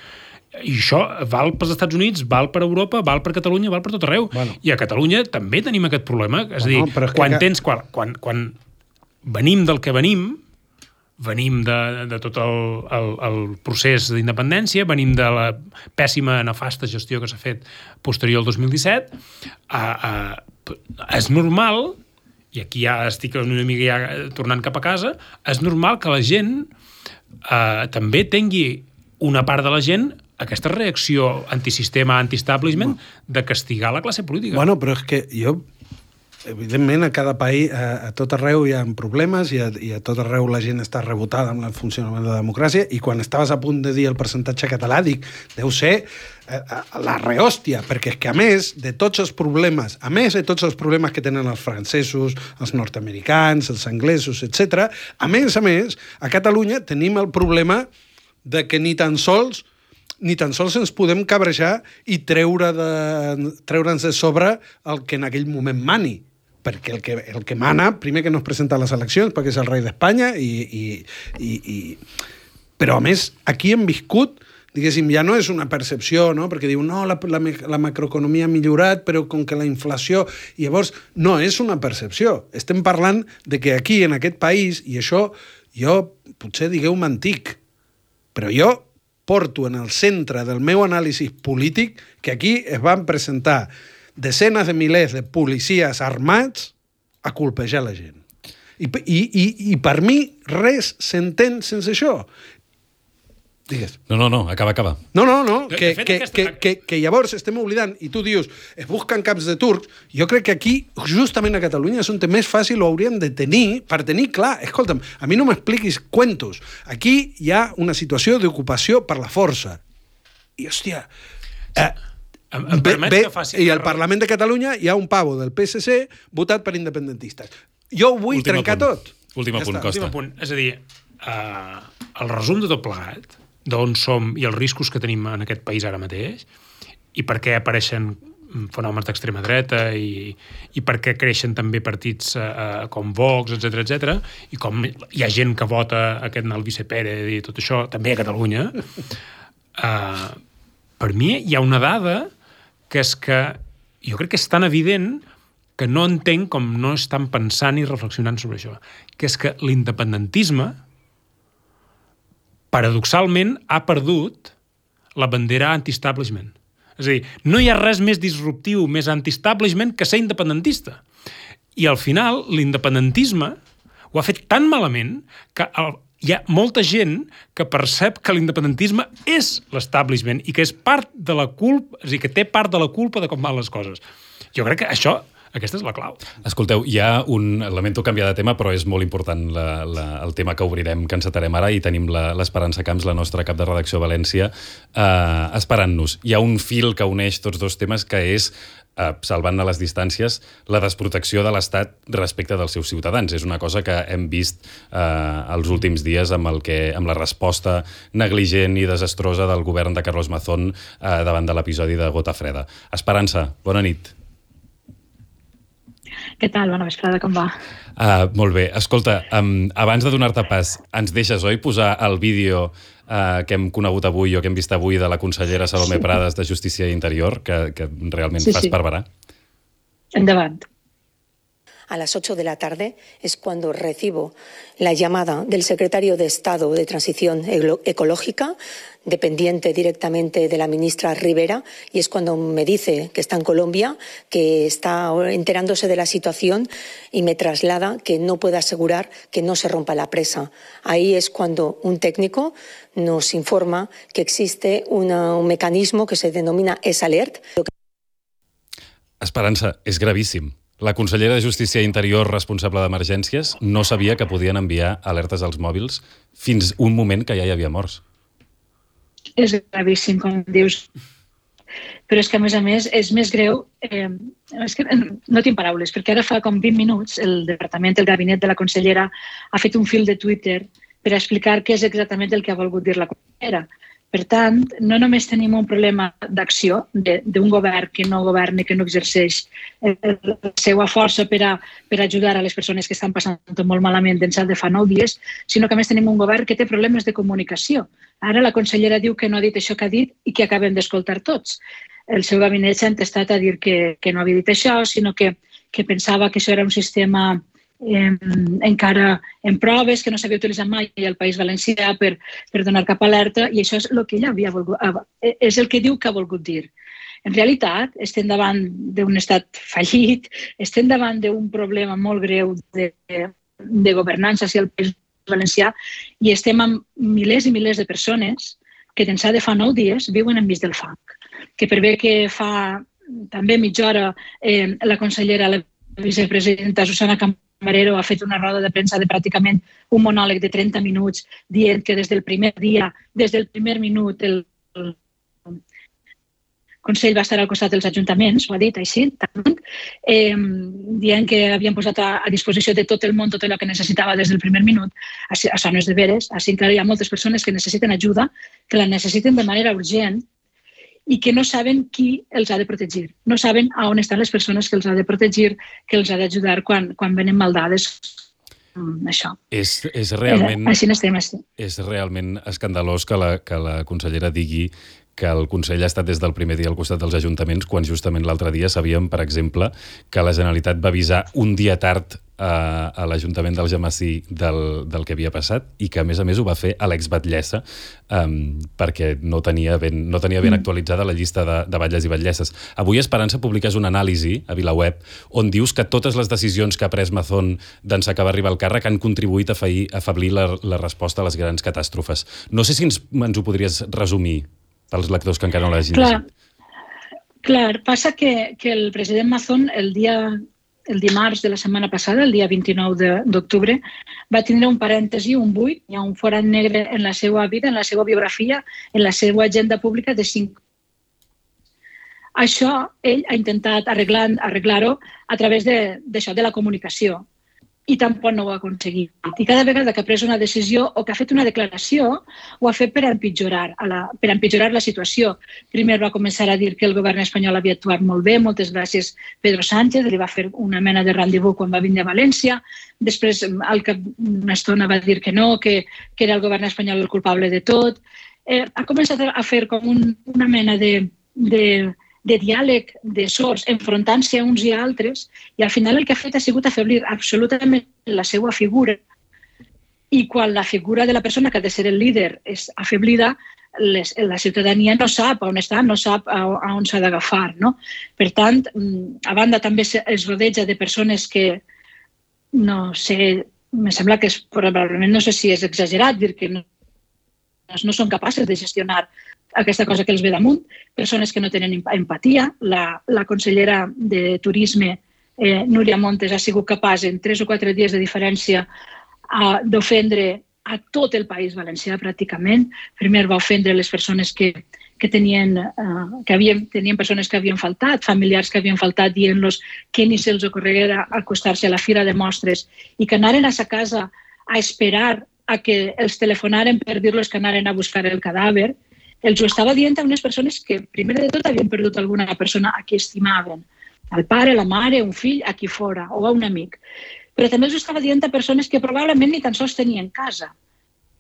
I això val pels Estats Units, val per Europa, val per Catalunya, val per tot arreu. Bueno. I a Catalunya també tenim aquest problema. És a dir, quan venim del que venim de tot el procés d'independència, venim de la pèssima, nefasta gestió que s'ha fet posterior al 2017, és normal, i aquí ja estic una mica ja tornant cap a casa, és normal que la gent també tingui una part de la gent aquesta reacció antisistema, anti-establishment, de castigar la classe política.
Bueno, però és que jo... Evidentment, a cada país, a tot arreu hi ha problemes i a tot arreu la gent està rebotada amb el funcionament de la democràcia, i quan estaves a punt de dir el percentatge català, dic, deu ser la rehòstia, perquè és que a més de tots els problemes, que tenen els francesos, els nord-americans, els anglesos, etc., a més, a Catalunya tenim el problema de que ni tan sols ens podem cabrejar i treure'ns de sobre el que en aquell moment mani. Perquè el que mana, primer que no es presenta a les eleccions, perquè és el rei d'Espanya, però a més, aquí hem viscut, diguéssim, ja no és una percepció, no? Perquè diu, no, la macroeconomia ha millorat, però com que la inflació... I llavors, no és una percepció. Estem parlant de que aquí, en aquest país, i això, jo, potser digueu-me antic, però jo porto en el centre del meu anàlisi polític que aquí es van presentar desenes de milers de policies armats a colpejar la gent. I per mi res s'entén sense això. Digues.
No, acaba.
No, que llavors estem oblidant, i tu dius, es busquen caps de turcs, jo crec que aquí, justament a Catalunya, és on més fàcil ho hauríem de tenir, per tenir clar, escolta'm, a mi no m'expliquis cuentos, aquí hi ha una situació d'ocupació per la força. I, hòstia, i al Parlament de Catalunya hi ha un pavo del PSC votat per independentistes. Jo ho vull trencar tot.
Últim punt, Costa.
És a dir, el resum de tot plegat, d'on som i els riscos que tenim en aquest país ara mateix, i per què apareixen fenòmens d'extrema dreta i per què creixen també partits com Vox, etc, i com hi ha gent que vota aquest Albice Pérez i tot això, també a Catalunya, per mi hi ha una dada que és que jo crec que és tan evident que no entenc com no estan pensant i reflexionant sobre això, que és que l'independentisme paradoxalment ha perdut la bandera anti-establishment. És a dir, no hi ha res més disruptiu, més anti-establishment que ser independentista. I al final l'independentisme ho ha fet tan malament que hi ha molta gent que percep que l'independentisme és l'establishment i que és part de la culpa, és a dir, que té part de la culpa de com van les coses. Jo crec que aquesta és la clau.
Escolteu, hi ha lamento canviar de tema, però és molt important el tema que obrirem, que encetarem ara, i tenim l'Esperança Camps, la nostra cap de redacció a València, esperant-nos. Hi ha un fil que uneix tots dos temes, que és, salvant a les distàncies, la desprotecció de l'Estat respecte dels seus ciutadans. És una cosa que hem vist els últims dies amb la resposta negligent i desastrosa del govern de Carlos Mazón davant de l'episodi de Gota Freda. Esperança, bona nit.
Què tal? Bona vesprada, com va?
Molt bé. Escolta, abans de donar-te pas, ens deixes, oi, posar el vídeo que hem conegut avui o que hem vist avui de la consellera Salomé Prades de Justícia i Interior, que realment fa esparverar?
Endavant.
A las 8 de la tarde es cuando recibo la llamada del secretario de Estado de Transición Ecológica, dependiente directamente de la ministra Rivera, y es cuando me dice que está en Colombia, que está enterándose de la situación y me traslada que no puede asegurar que no se rompa la presa. Ahí es cuando un técnico nos informa que existe un mecanismo que se denomina S-Alert.
Esperança, és gravíssim. La consellera de Justícia i Interior responsable d'emergències no sabia que podien enviar alertes als mòbils fins un moment que ja hi havia morts.
És gravíssim, com dius. Però és que, a més, és més greu... és que no tinc paraules, perquè ara fa com 20 minuts el departament, el gabinet de la consellera ha fet un fil de Twitter per explicar què és exactament el que ha volgut dir la consellera. Per tant, no només tenim un problema d'acció d'un govern que no governa, que no exerceix la seva força per ajudar a les persones que estan passant molt malament d'ençà de fa 9 dies, sinó que a més tenim un govern que té problemes de comunicació. Ara la consellera diu que no ha dit això que ha dit i que acabem d'escoltar tots. El seu gabinet s'ha entestat a dir que no havia dit això, sinó que pensava que això era un sistema encara en proves, que no s'havia utilitzat mai al País Valencià per donar cap alerta, i això és el que ella havia volgut, és el que diu que ha volgut dir. En realitat, estem davant d'un estat fallit, estem davant d'un problema molt greu de governança hacia el País Valencià i estem amb milers i milers de persones que d'ençà de fa 9 dies viuen enmig del fang. Que per bé que fa també mitja hora la consellera, la vicepresidenta Susana Camarero ha fet una roda de premsa de pràcticament un monòleg de 30 minuts dient que des del primer dia, des del primer minut, el Consell va estar al costat dels ajuntaments, ho ha dit així, dient que havien posat a disposició de tot el món tot allò que necessitava des del primer minut. Això no és de veres, així encara hi ha moltes persones que necessiten ajuda, que la necessiten de manera urgent i que no saben qui els ha de protegir. No saben a on estan les persones que els ha de protegir, que els ha d'ajudar quan venen maldades. Això.
És realment...
Així n'estem.
És realment escandalós que la consellera digui que el Consell ha estat des del primer dia al costat dels ajuntaments, quan justament l'altre dia sabíem, per exemple, que la Generalitat va avisar un dia tard a l'Ajuntament d'Algemesí del que havia passat i que, a més ho va fer a l'ex-batllessa perquè no tenia ben actualitzada la llista de batlles i batlleses. Avui Esperança publiques una anàlisi a VilaWeb on dius que totes les decisions que ha pres Mazón d'ençà que va arribar al càrrec han contribuït a afeblir la resposta a les grans catàstrofes. No sé si ens ho podries resumir pels lectors que encara no l'hagin llegit.
Clar, passa que el president Mazón el dimarts de la setmana passada, el dia 29 d'octubre, va tindre un parèntesi, un buit, hi ha un forat negre en la seva vida, en la seva biografia, en la seva agenda pública de 5. Això ell ha intentat arreglar-ho a través d'això, de la comunicació, i tampoc no ho ha aconseguit. I cada vegada que ha pres una decisió o que ha fet una declaració, ho ha fet per empitjorar la situació. Primer va començar a dir que el govern espanyol havia actuat molt bé, moltes gràcies Pedro Sánchez, li va fer una mena de rendezvous quan va vindre a València. Després, al cap d'una estona, va dir que no, que era el govern espanyol el culpable de tot. Ha començat a fer com una mena de diàleg de sords, enfrontant-se a uns i a altres, i al final el que ha fet ha sigut afeblir absolutament la seva figura. I quan la figura de la persona que ha de ser el líder és afeblida, la ciutadania no sap on està, no sap a on s'ha d'agafar. No? Per tant, a banda també es rodeja de persones que, no sé, me sembla que probablement, no sé si és exagerat dir que no són capaces de gestionar aquesta cosa que els ve damunt, persones que no tenen empatia. La consellera de Turisme, Núria Montes, ha sigut capaç en 3 o 4 dies de diferència d'ofendre a tot el País Valencià pràcticament. Primer va ofendre les persones que tenien persones que havien faltat, familiars que havien faltat, dient-los que ni se'ls ocorreguera acostar-se a la fira de mostres i que anaren a sa casa a esperar a que els telefonaren per dir-los que anaren a buscar el cadàver. Els ho estava dient a unes persones que, primer de tot, havien perdut alguna persona a qui estimaven. al pare, la mare, un fill, a qui fora, o a un amic. Però també els estava dient a persones que probablement ni tan sols tenien casa,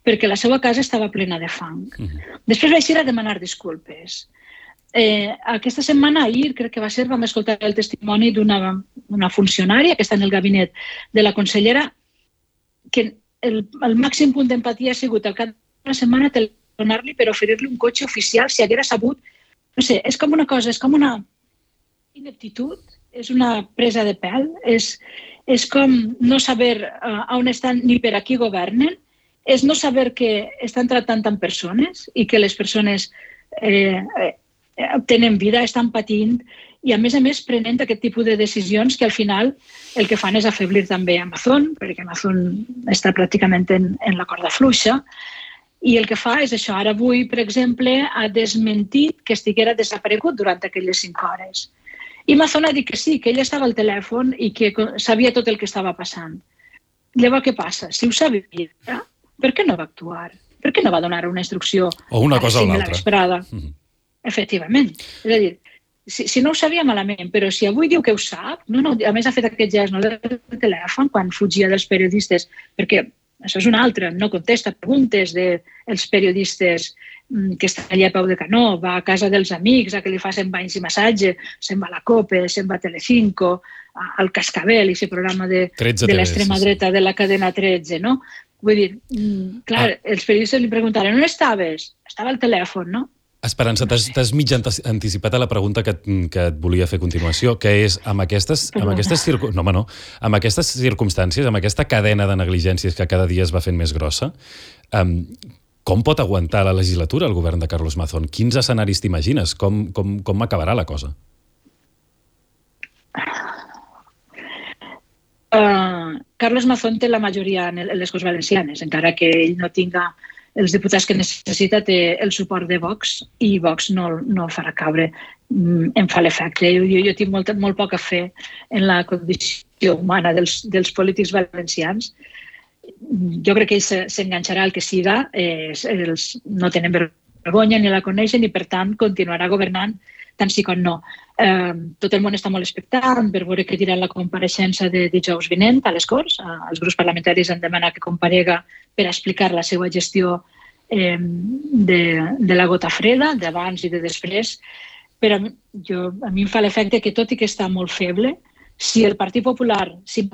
perquè la seva casa estava plena de fang. Després vaig ir a demanar disculpes. Aquesta setmana, ahir, crec que va ser, vam escoltar el testimoni d'una funcionària que està en el gabinet de la consellera, que el màxim punt d'empatia ha sigut al cap d'una setmana telefonar-li per oferir-li un cotxe oficial si haguera sabut. No sé, és com una cosa, és com una ineptitud, és una presa de pèl, és com no saber on estan ni per a qui governen, és no saber que estan tractant amb persones i que les persones tenen vida, estan patint i, a més prenent aquest tipus de decisions que al final el que fan és afeblir també Amazon, perquè Amazon està pràcticament en la corda fluixa, i el que fa és això. Ara avui, per exemple, ha desmentit que estiguera desaparegut durant aquelles 5 hores. I Amazon ha dit que sí, que ell estava al telèfon i que sabia tot el que estava passant. Llavors, què passa? Si ho sabia, per què no va actuar? Per què no va donar una instrucció
o una cosa o
a
l'altra?
La vesprada? Efectivament. És a dir, si no ho sabia malament, però si avui diu que ho sap, a més ha fet aquest gest del telèfon quan fugia dels periodistes, perquè això és una altra, no contesta preguntes dels periodistes que estan allà a peu de canó, va a casa dels amics a que li facin banys i massatge, se'n va a la COPE, se'n va a Telecinco, al Cascabel, i aquest programa de l'extrema dreta de la cadena 13, no? Vull dir, clar, els periodistes li preguntaren, on estaves? Estava al telèfon, no?
Esperança, t'has mig anticipat a la pregunta que et volia fer a continuació, que és, amb aquestes circumstàncies, amb aquesta cadena de negligències que cada dia es va fent més grossa, com pot aguantar la legislatura el govern de Carlos Mazón? Quins escenaris t'imagines? Com acabarà la cosa?
Carlos Mazón té la majoria en les Corts Valencianes, encara que ell no tinga els diputats que necessita, té el suport de Vox i Vox no farà caure, em fa l'efecte. Jo tinc molt poca fe en la condició humana dels polítics valencians. Jo crec que ell s'enganxarà al que siga, ells no tenen vergonya ni la coneixen i, per tant, continuarà governant tant sí com no. Tot el món està molt expectant per veure què dirà la compareixença de dijous vinent a les Corts. Els grups parlamentaris han demanat que comparega per explicar la seva gestió de la gota freda, d'abans i de després. Però a mi em fa l'efecte que, tot i que està molt feble, si el Partit Popular, si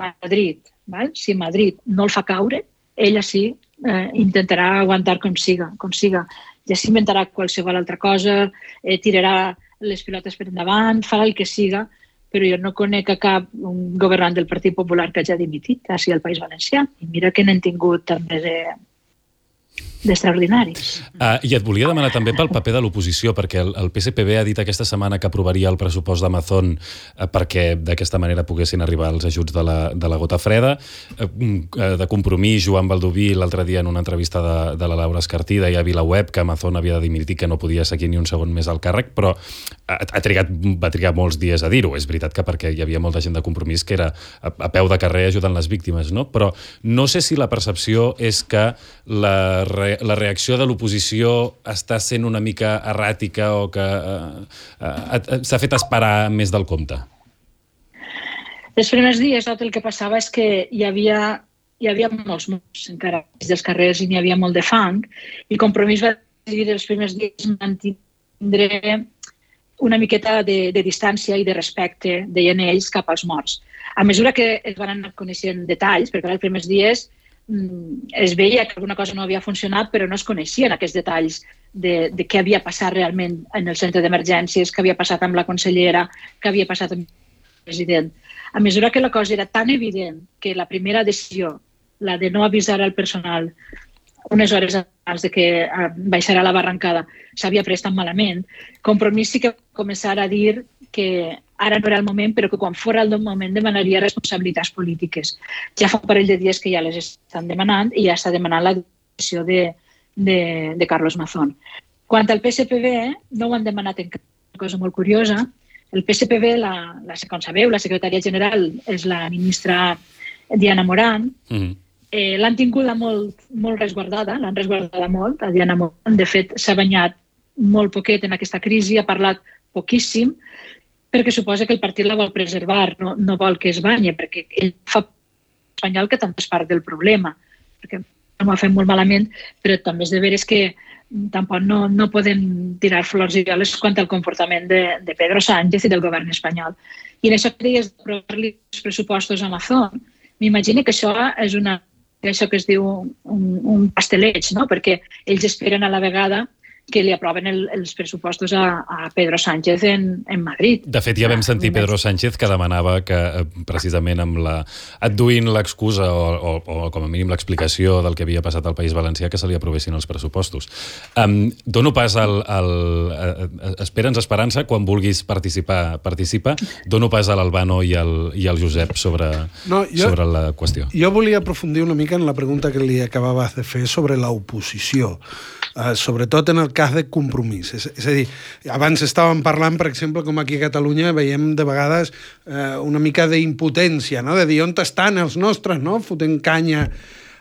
Madrid no el fa caure, ella sí intentarà aguantar com siga. Ja s'inventarà qualsevol altra cosa, tirarà les pilotes per endavant, farà el que siga, però jo no conec a cap governant del Partit Popular que hagi dimitit, així al País Valencià. I mira que n'hem tingut també d'extraordinaris.
I et volia demanar també pel paper de l'oposició, perquè el PSPB ha dit aquesta setmana que aprovaria el pressupost d'Amazon perquè d'aquesta manera poguessin arribar els ajuts de la gota freda. De Compromís, Joan Baldoví, l'altre dia en una entrevista de la Laura Escartí, deia a VilaWeb que Amazon havia de dimitir, que no podia seguir ni un segon més al càrrec, però va trigar molts dies a dir-ho. És veritat que perquè hi havia molta gent de Compromís que era a peu de carrer ajudant les víctimes, no? Però no sé si la percepció és que la reacció de l'oposició està sent una mica erràtica o que s'ha fet esperar més del compte.
Els primers dies tot el que passava és que hi havia molts morts encara dels carrers i n'hi havia molt de fang, i Compromís va decidir els primers dies mantindre una miqueta de distància i de respecte, deien ells, cap als morts. A mesura que es van anar coneixent detalls, perquè els primers dies es veia que alguna cosa no havia funcionat, però no es coneixien aquests detalls de què havia passat realment en el centre d'emergències, què havia passat amb la consellera, què havia passat amb el president. A mesura que la cosa era tan evident que la primera decisió, la de no avisar al personal unes hores abans de que baixarà la barrancada, s'havia pres tan malament, Compromís sí que va començar a dir que ara no era el moment, però que quan fora el moment demanaria responsabilitats polítiques. Ja fa un parell de dies que ja les estan demanant i ja està demanant la decisió de Carlos Mazón. Quant al PSPB, no ho han demanat encara, una cosa molt curiosa. El PSPB, com sabeu, la secretària general és la ministra Diana Morant. L'han tinguda molt resguardada, l'han resguardada molt, a Diana Morant. De fet, s'ha banyat molt poquet en aquesta crisi, ha parlat poquíssim, perquè suposa que el partit la vol preservar, no vol que es banya, perquè ell fa espanyol que també és part del problema, perquè no m'ho ha fet molt malament, però també és de veres que tampoc no podem tirar flors i violes quant al comportament de Pedro Sánchez i del govern espanyol. I en això que deies d'aprovar-li els pressupostos a Amazon, m'imagino que això és això que es diu un pasteleig, no? Perquè ells esperen a la vegada que li aproven els pressupostos a Pedro Sánchez en Madrid.
De fet, ja vam sentir Pedro Sánchez que demanava que, precisament adduint l'excusa o com a mínim l'explicació del que havia passat al País Valencià, que se li aprovessin els pressupostos. Dono pas Espera'ns esperança, quan vulguis participa. Dono pas a l'Albano i al Josep sobre la qüestió.
Jo volia aprofundir una mica en la pregunta que li acabaves de fer sobre l'oposició. Sobretot en el cas de Compromís. És a dir, abans estàvem parlant, per exemple, com aquí a Catalunya veiem de vegades una mica d'impotència, no? De dir, on estan els nostres, no? Fotent canya.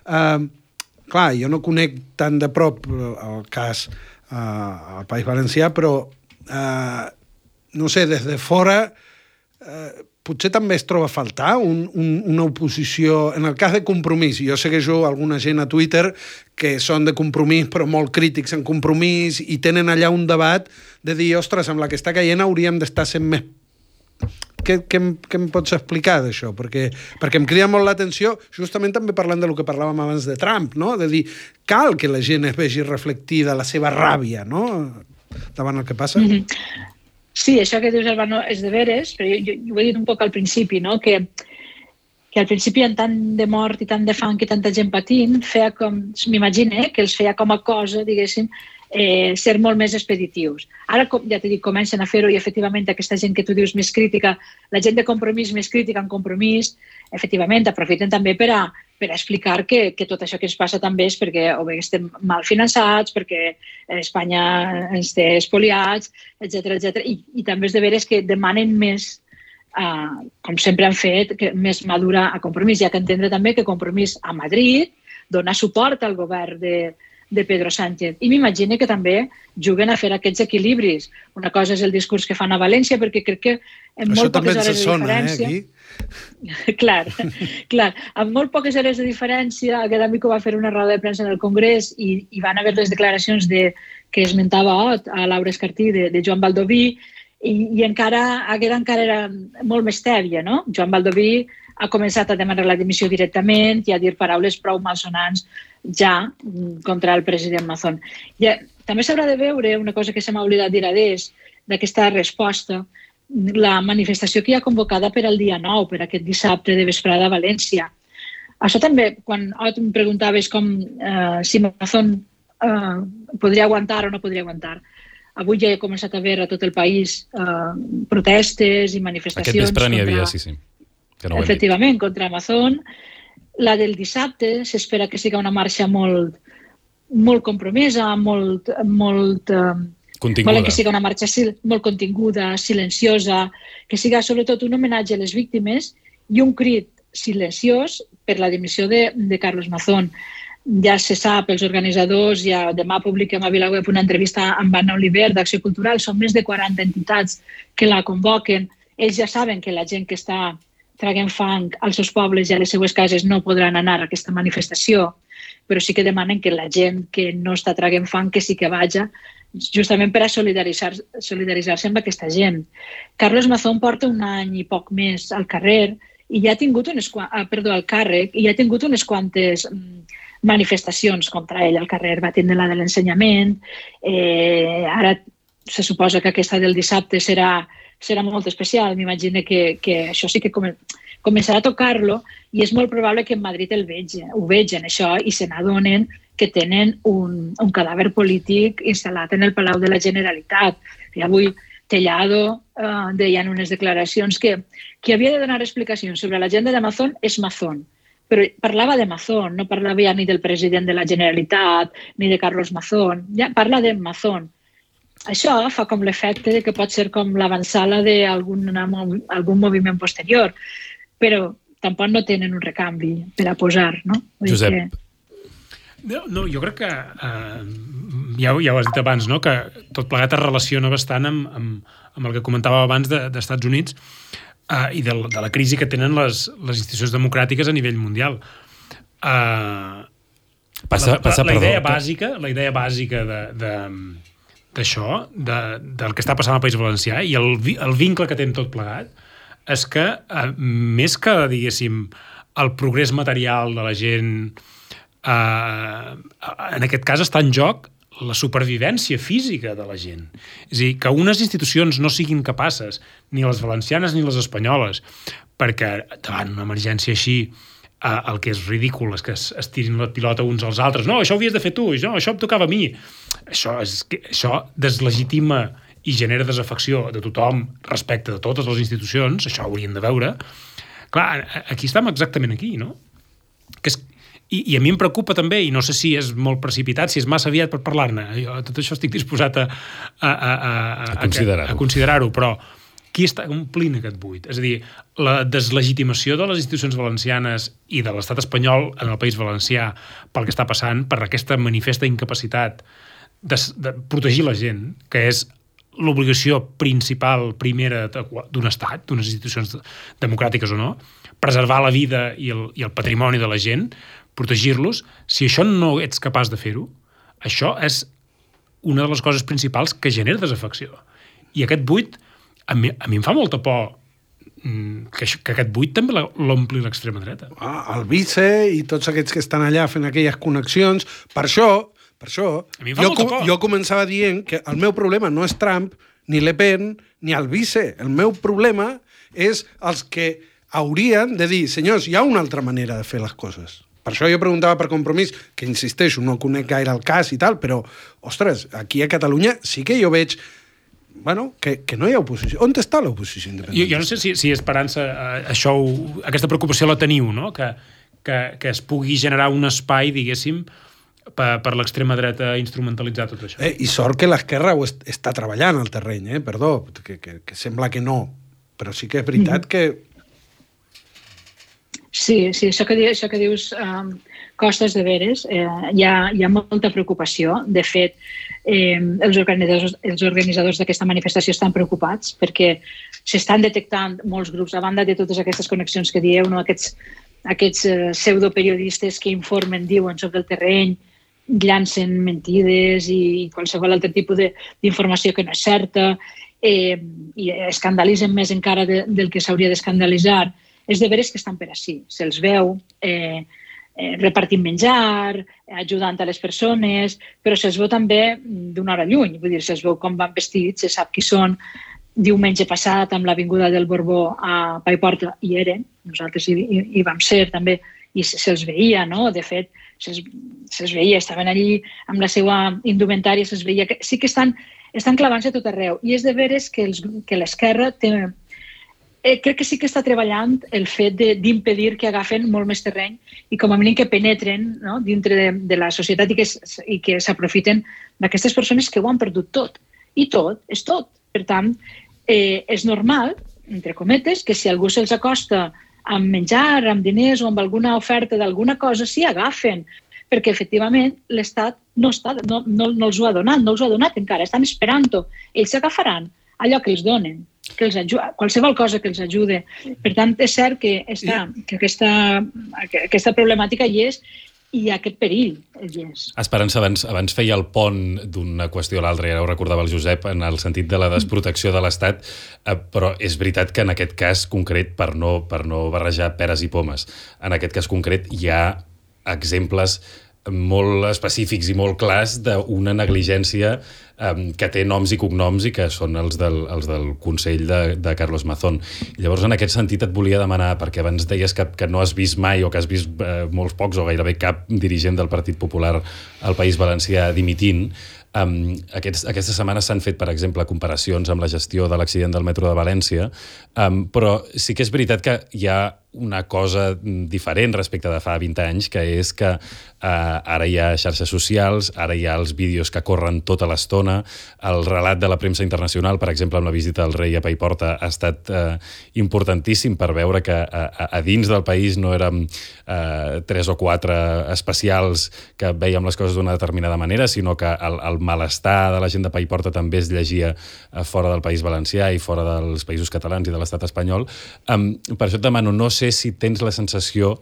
Clar, jo no conec tan de prop el cas al País Valencià, però no sé, des de fora potser també es troba a faltar una oposició, en el cas de Compromís. Jo segueixo alguna gent a Twitter que són de Compromís però molt crítics en Compromís i tenen allà un debat de dir, ostres, amb la que està caient hauríem d'estar sent més... Què em pots explicar d'això? Perquè em crida molt l'atenció, justament també parlant del que parlàvem abans de Trump, no? De dir, cal que la gent es vegi reflectida la seva ràbia, no? Davant el que passa.
Mm-hmm. Sí, això que dius, Albano, és de veres, però jo ho he dit un poc al principi, no? Que al principi en tant de mort i tant de fang i tanta gent patint, m'imagino que els feia com a cosa, diguéssim, ser molt més expeditius. Ara, ja t'he dit, comencen a fer-ho i efectivament aquesta gent que tu dius més crítica, la gent de Compromís més crítica en Compromís, efectivament aprofiten també per a explicar que tot això que ens passa també és perquè o bé estem mal finançats, perquè Espanya ens té espoliats, etc. I també és de veres que demanen més, com sempre han fet, més madura a Compromís. Hi ha que entendre també que Compromís a Madrid dona suport al govern de Pedro Sánchez. I m'imagino que també juguen a fer aquests equilibris. Una cosa és el discurs que fan a València, perquè crec que en molt poques hores de diferència...
Aquí.
Clar. Amb molt poques hores de diferència, aquest amic va fer una roda de premsa en el Congrés i van haver les declaracions que esmentava a Laura Escartí de Joan Baldoví i encara era molt més tèbia, no? Joan Baldoví ha començat a demanar la dimissió directament i a dir paraules prou malsonants ja contra el president Mazón. També s'haurà de veure una cosa que se m'ha oblidat dir d'aquesta resposta, la manifestació que hi ha convocada per al dia 9, per aquest dissabte de vesprada a València. Això també, quan em preguntaves si Mazón podria aguantar o no podria aguantar. Avui ja he començat a veure a tot el país protestes i manifestacions.
Aquest vespre n'hi havia, sí.
Efectivament, contra Amazon. La del dissabte s'espera que sigui una marxa molt compromesa, molt
continguda.
Volen que sigui una marxa molt continguda, silenciosa, que siga sobretot un homenatge a les víctimes i un crit silenciós per la dimissió de Carlos Mazón. Ja se sap, els organitzadors, ja demà publiquem a VilaWeb una entrevista amb Anna Oliver d'Acció Cultural, són més de 40 entitats que la convoquen. Ells ja saben que la gent que està traguen fang als seus pobles i a les seues cases no podran anar a aquesta manifestació, però sí que demanen que la gent que no està traguent fang que sí que vagi, justament per a solidaritzar-se amb aquesta gent. Carlos Mazón porta un any i poc més al carrer i ja ha tingut al càrrec i ja ha tingut unes quantes manifestacions contra ell al carrer. Va tindre la de l'ensenyament, ara se suposa que aquesta del dissabte serà molt especial. M'imagino que això sí que començarà a tocar-lo i és molt probable que en Madrid ho vegin això i se n'adonen que tenen un cadàver polític instal·lat en el Palau de la Generalitat. I avui Tellado deia en unes declaracions que qui havia de donar explicacions sobre l'agenda de Mazón és Mazón. Però parlava de Mazón, no parlava ja ni del president de la Generalitat ni de Carlos Mazón, ja parla de Mazón. Això fa com l'efecte de que pot ser com l'avançada d'algun moviment posterior, però tampoc no tenen un recanvi per a posar, no?
Josep.
No, jo crec que ja ho has dit abans, no? Que tot plegat es relaciona bastant amb el que comentava abans d'Estats Units i de la crisi que tenen les institucions democràtiques a nivell mundial. La idea bàsica d'això, del que està passant al País Valencià i el vincle que té amb tot plegat, és que més que, diguéssim, el progrés material de la gent, en aquest cas està en joc la supervivència física de la gent. És a dir, que unes institucions no siguin capaces, ni les valencianes ni les espanyoles, perquè davant una emergència així el que és ridícul és que es tirin la pilota uns als altres. No, això ho havies de fer tu, no, això em tocava a mi. Això deslegitima i genera desafecció de tothom respecte de totes les institucions, això ho hauríem de veure. Clar, aquí estem exactament aquí, no? I a mi em preocupa també, i no sé si és molt precipitat, si és massa aviat per parlar-ne, jo tot això estic disposat a considerar-ho, però qui està omplint aquest buit? És a dir, la deslegitimació de les institucions valencianes i de l'estat espanyol en el País Valencià pel que està passant, per aquesta manifesta incapacitat de protegir la gent, que és l'obligació principal, primera d'un estat, d'unes institucions democràtiques o no, preservar la vida i el patrimoni de la gent, protegir-los. Si això no ets capaç de fer-ho, això és una de les coses principals que genera desafecció. I aquest buit, a mi em fa molta por que aquest buit també l'ompli l'extrema dreta.
El vice i tots aquests que estan allà fent aquelles connexions. Per això jo començava dient que el meu problema no és Trump, ni Le Pen, ni el vice. El meu problema és els que haurien de dir, senyors, hi ha una altra manera de fer les coses. Per això jo preguntava per Compromís, que insisteixo, no conec gaire el cas i tal, però, ostres, aquí a Catalunya sí que jo veig que no hi ha oposició. On està l'oposició independentista?
Jo no sé si Esperança aquesta preocupació la teniu, no? Que es pugui generar un espai, diguéssim, per l'extrema dreta instrumentalitzar tot això.
I sort que l'esquerra ho està treballant al terreny, perdó, que sembla que no, però sí que és veritat que...
Sí, això que dius costes de veres, hi ha molta preocupació. De fet, els organitzadors d'aquesta manifestació estan preocupats perquè s'estan detectant molts grups, a banda de totes aquestes connexions que dieu, no? Aquests pseudoperiodistes que informen, diuen sobre el terreny, llancen mentides i qualsevol altre tipus d'informació que no és certa, i escandalitzen més encara del que s'hauria d'escandalitzar. És de veres que estan per així. Se'ls veu repartint menjar, ajudant a les persones, però se'ls veu també d'una hora lluny. Vull dir, se'ls veu com van vestits, se sap qui són. Diumenge passat, amb l'avinguda del Borbó a Paiporta, hi eren. Nosaltres hi vam ser també, i se'ls veia, no? De fet, se'ls veia, estaven allí amb la seva indumentària, se'ls veia. Sí que estan clavant-se tot arreu. I és de veres que l'esquerra té... crec que sí que està treballant el fet d'impedir que agafen molt més terreny i com a mínim que penetren, no? Dintre de la societat i que s'aprofiten d'aquestes persones que ho han perdut tot. I tot és tot. Per tant, és normal, entre cometes, que si algú se'ls acosta amb menjar, amb diners o amb alguna oferta d'alguna cosa, s'hi agafen, perquè efectivament l'Estat no els ho ha donat, no els ho ha donat encara, estan esperant-ho. Ells s'agafaran allò que els donen, qualsevol cosa que els ajude. Per tant, és cert que aquesta problemàtica hi és i aquest perill hi és.
Esperança, abans feia el pont d'una qüestió a l'altra, i ara ho recordava el Josep, en el sentit de la desprotecció de l'Estat, però és veritat que en aquest cas concret, per no barrejar peres i pomes, en aquest cas concret hi ha exemples molt específics i molt clars d'una negligència que té noms i cognoms i que són els del Consell de Carlos Mazón. I llavors, en aquest sentit, et volia demanar, perquè abans deies que no has vist mai o que has vist molts pocs o gairebé cap dirigent del Partit Popular al País Valencià dimitint. Aquesta setmana s'han fet, per exemple, comparacions amb la gestió de l'accident del metro de València, però sí que és veritat que hi ha una cosa diferent respecte de fa 20 anys, que és que ara hi ha xarxes socials, ara hi ha els vídeos que corren tota l'estona, el relat de la premsa internacional, per exemple, amb la visita del rei a Paiporta, ha estat importantíssim per veure que a dins del país no érem 3 o 4 especials que veiem les coses d'una determinada manera, sinó que el malestar de la gent de Paiporta també es llegia fora del País Valencià i fora dels països catalans i de l'estat espanyol. Per això et demano, no sé si tens la sensació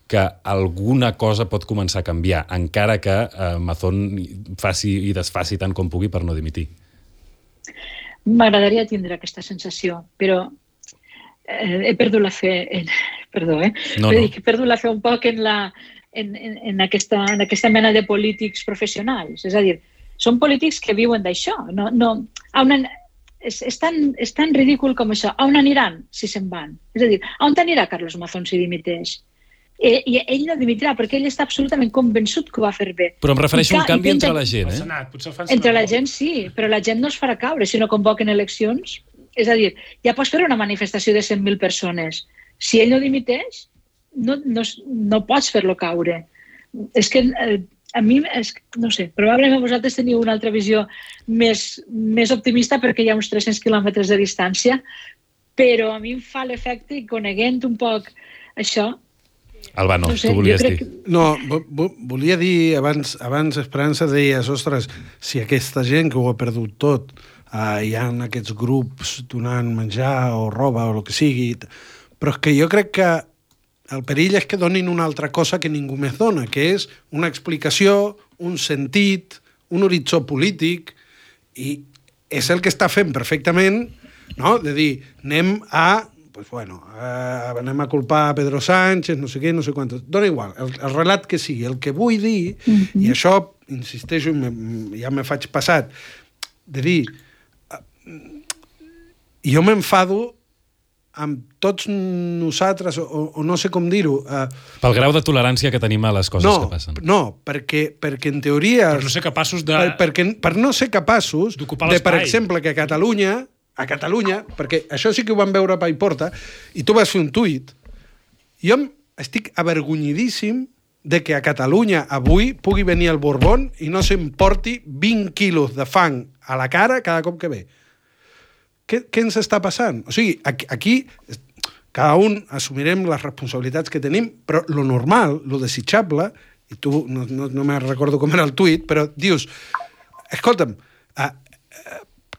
que alguna cosa pot començar a canviar, encara que Mazón faci i desfaci tant com pugui per no dimitir.
M'agradaria tindre aquesta sensació, però he perdut la fe... Perdó,
No.
He perdut la fe un poc en aquesta mena de polítics professionals. És a dir, són polítics que viuen d'això. És tan ridícul com això. On aniran si se'n van? És a dir, on anirà Carlos Mazón si dimiteix? I ell no dimitirà, perquè ell està absolutament convençut que ho va fer bé.
Però em refereixo a un canvi entre la gent,
El Senat, potser el fan
Entre la gent sí, però la gent no es farà caure si no convoquen eleccions. És a dir, ja pots fer una manifestació de 100.000 persones. Si ell no dimiteix, no pots fer-lo caure. És que a mi, no sé, probablement vosaltres teniu una altra visió més optimista perquè hi ha uns 300 quilòmetres de distància, però a mi em fa l'efecte, coneguent un poc això...
Albano,
no sé,
tu volies dir.
No, volia dir, abans Esperança deies, ostres, si aquesta gent que ho ha perdut tot, hi ha aquests grups donant menjar o roba o el que sigui, però és que jo crec que el perill és que donin una altra cosa que ningú més dona, que és una explicació, un sentit, un horitzó polític, i és el que està fent perfectament, no? De dir, anem a culpar a Pedro Sánchez, no sé què, no sé quantos. Dona igual, el relat que sigui. El que vull dir, i això, insisteixo, ja me faig passat, de dir, jo m'enfado amb tots nosaltres, o no sé com dir-ho...
Pel grau de tolerància que tenim a les coses que passen.
No, perquè en teoria...
Per no ser capaços de...
Per no ser capaços
d'ocupar
de,
l'espai.
per exemple, que a Catalunya, perquè això sí que ho van veure a Paiporta, i tu vas fer un tuit, jo estic avergonyidíssim de que a Catalunya avui pugui venir el Borbón i no s'emporti 20 quilos de fang a la cara cada cop que ve. Què ens està passant? O sigui, aquí cada un assumirem les responsabilitats que tenim, però lo normal, lo desitjable, i tu no me recordo com era el tuit, però dius, escolta'm,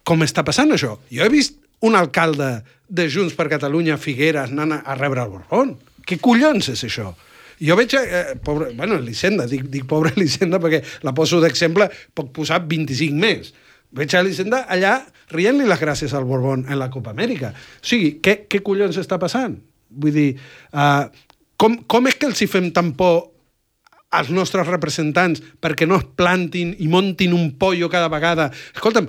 com està passant això? Jo he vist un alcalde de Junts per Catalunya, Figueres, anant a rebre el Borbón. Què collons és això? Jo veig, Elisenda, dic pobra Elisenda perquè la poso d'exemple, puc posar 25 més. Veig a Elisenda allà rient-li les gràcies al Borbón en la Copa Amèrica. O sigui, què collons està passant? Vull dir, com és que els hi fem tan por als nostres representants perquè no es plantin i montin un pollo cada vegada? Escolta'm,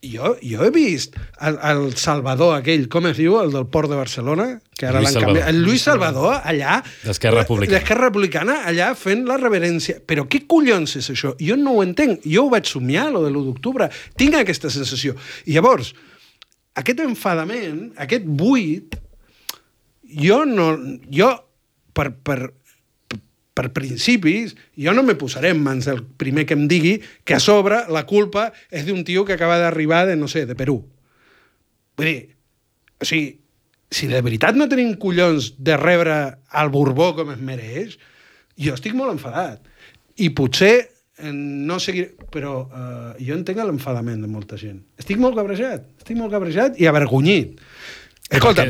jo he vist el Salvador aquell, com es diu, el del Port de Barcelona, que ara l'han canviat. El Lluís Salvador, allà...
D'Esquerra
Republicana, allà fent la reverència. Però què collons és això? Jo no ho entenc. Jo ho vaig somiar, lo de l'1 d'octubre. Tinc aquesta sensació. I llavors, aquest enfadament, aquest buit, per principis, jo no me posaré en mans del primer que em digui que a sobre la culpa és d'un tio que acaba d'arribar de, no sé, de Perú. Vull dir, o sigui, si de veritat no tenim collons de rebre el Borbó com es mereix, jo estic molt enfadat. I potser no seguiré... Però jo entenc l'enfadament de molta gent. Estic molt cabrejat i avergonyit. Escolta,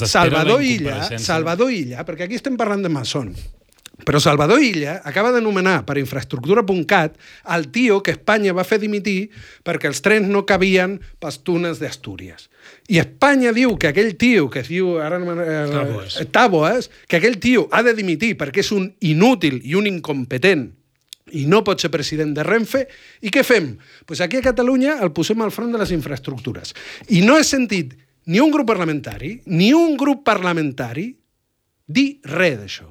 Salvador Illa, perquè aquí estem parlant de Mazón, però Salvador Illa acaba d'anomenar per infraestructura.cat el tio que Espanya va fer dimitir perquè els trens no cabien pels túnels d'Astúries. I Espanya diu que aquell tio, que es diu Taboas, que aquell tio ha de dimitir perquè és un inútil i un incompetent i no pot ser president de Renfe. I què fem? Pues aquí a Catalunya el posem al front de les infraestructures. I no he sentit ni un grup parlamentari dir res d'això.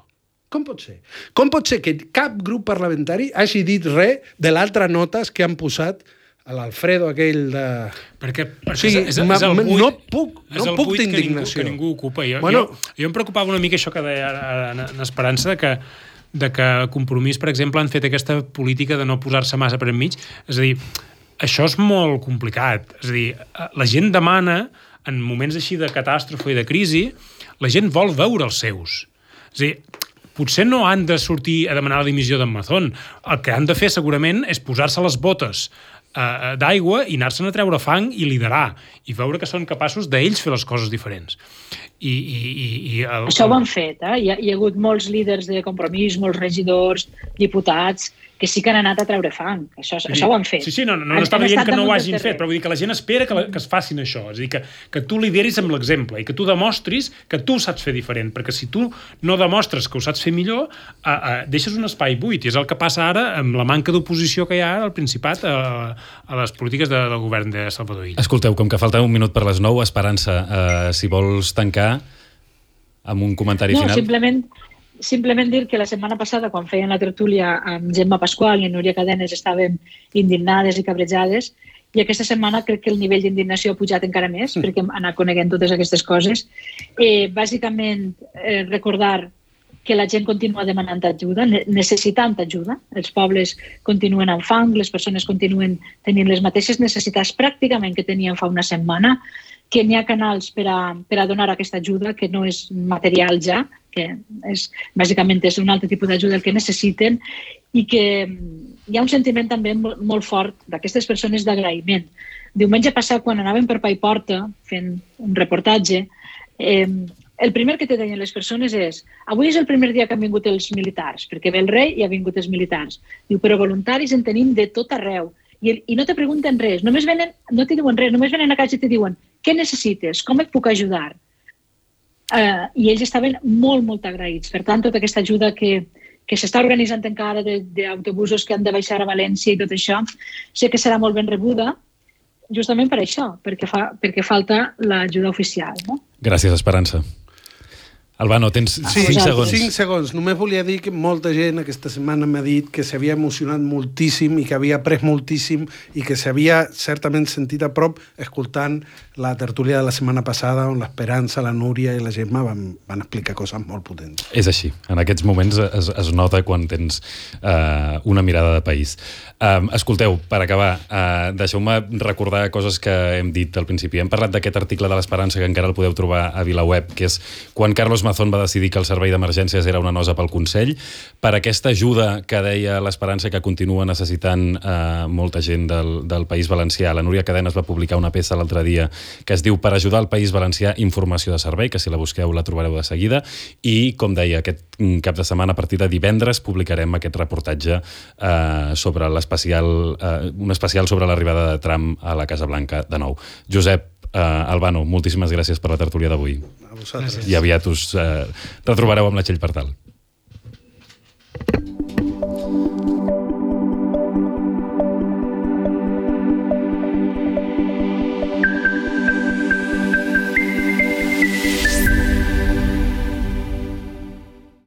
Com pot ser? Com pot ser que cap grup parlamentari hagi dit res de l'altra notes que han posat l'Alfredo aquell de...
Perquè
O sigui,
és el buit,
no puc
buit
d'indignació.
que ningú ocupa. Jo em preocupava una mica això que deia en Esperança, de que Compromís, per exemple, han fet aquesta política de no posar-se massa per enmig. És a dir, això és molt complicat. És a dir, la gent demana, en moments així de catàstrofe i de crisi, la gent vol veure els seus. És a dir, potser no han de sortir a demanar la dimissió d'en Mazón. El que han de fer, segurament, és posar-se les botes d'aigua i anar-se'n a treure fang i liderar, i veure que són capaços d'ells fer les coses diferents.
Això ho han fet, Hi ha hagut molts líders de Compromís, molts regidors, diputats, que sí que han anat a treure fang. Això ho han fet.
Sí, no estava dient que no ho hagin fet, però vull dir que la gent espera que es facin això. És a dir, que tu lideris amb l'exemple i que tu demostris que tu ho saps fer diferent, perquè si tu no demostres que ho saps fer millor, deixes un espai buit, i és el que passa ara amb la manca d'oposició que hi ha al Principat a les polítiques del govern de Salvador Illa.
Escolteu, com que falta un minut per les 9, Esperança, si vols tancar amb un comentari final.
Simplement dir que la setmana passada, quan feien la tertúlia amb Gemma Pasqual i Núria Cadenes, estàvem indignades i cabrejades, i aquesta setmana crec que el nivell d'indignació ha pujat encara més, perquè hem anat coneguent totes aquestes coses. Bàsicament, recordar que la gent continua demanant ajuda, necessitant ajuda. Els pobles continuen amb fang, les persones continuen tenint les mateixes necessitats pràcticament que tenien fa una setmana, que n'hi ha canals per a donar aquesta ajuda, que no és material ja, que bàsicament és un altre tipus d'ajuda el que necessiten, i que hi ha un sentiment també molt fort d'aquestes persones d'agraïment. Diumenge passat, quan anàvem per Paiporta fent un reportatge, el primer que te deien les persones és: avui és el primer dia que han vingut els militars, perquè ve el rei i ha vingut els militars. Diu, però voluntaris en tenim de tot arreu. I no te pregunten res, no te diuen res, només venen a casa i te diuen: què necessites? Com et puc ajudar? I ells estaven molt, molt agraïts. Per tant, tota aquesta ajuda que s'està organitzant encara d'autobusos que han de baixar a València i tot això, sé que serà molt ben rebuda, justament per això, perquè falta l'ajuda oficial. No?
Gràcies, Esperança. Albano, tens 5 segons.
5 segons. Només volia dir que molta gent aquesta setmana m'ha dit que s'havia emocionat moltíssim i que havia après moltíssim i que s'havia certament sentit a prop escoltant la tertúlia de la setmana passada on l'Esperança, la Núria i la Gemma van explicar coses molt potents.
És així. En aquests moments es nota quan tens una mirada de país. Escolteu, per acabar, deixeu-me recordar coses que hem dit al principi. Hem parlat d'aquest article de l'Esperança que encara el podeu trobar a VilaWeb, que és quan Carlos Mazón va decidir que el servei d'emergències era una nosa pel Consell, per aquesta ajuda que deia l'Esperança que continua necessitant molta gent del País Valencià. La Núria Cadenes va publicar una peça l'altre dia que es diu Per ajudar el País Valencià, informació de servei, que si la busqueu la trobareu de seguida, i, com deia, aquest cap de setmana, a partir de divendres, publicarem aquest reportatge sobre un especial sobre l'arribada de Trump a la Casa Blanca de nou. Josep, Albano, moltíssimes gràcies per la tertúlia d'avui.
A vosaltres.
I aviat us retrobareu amb la Txell Partal.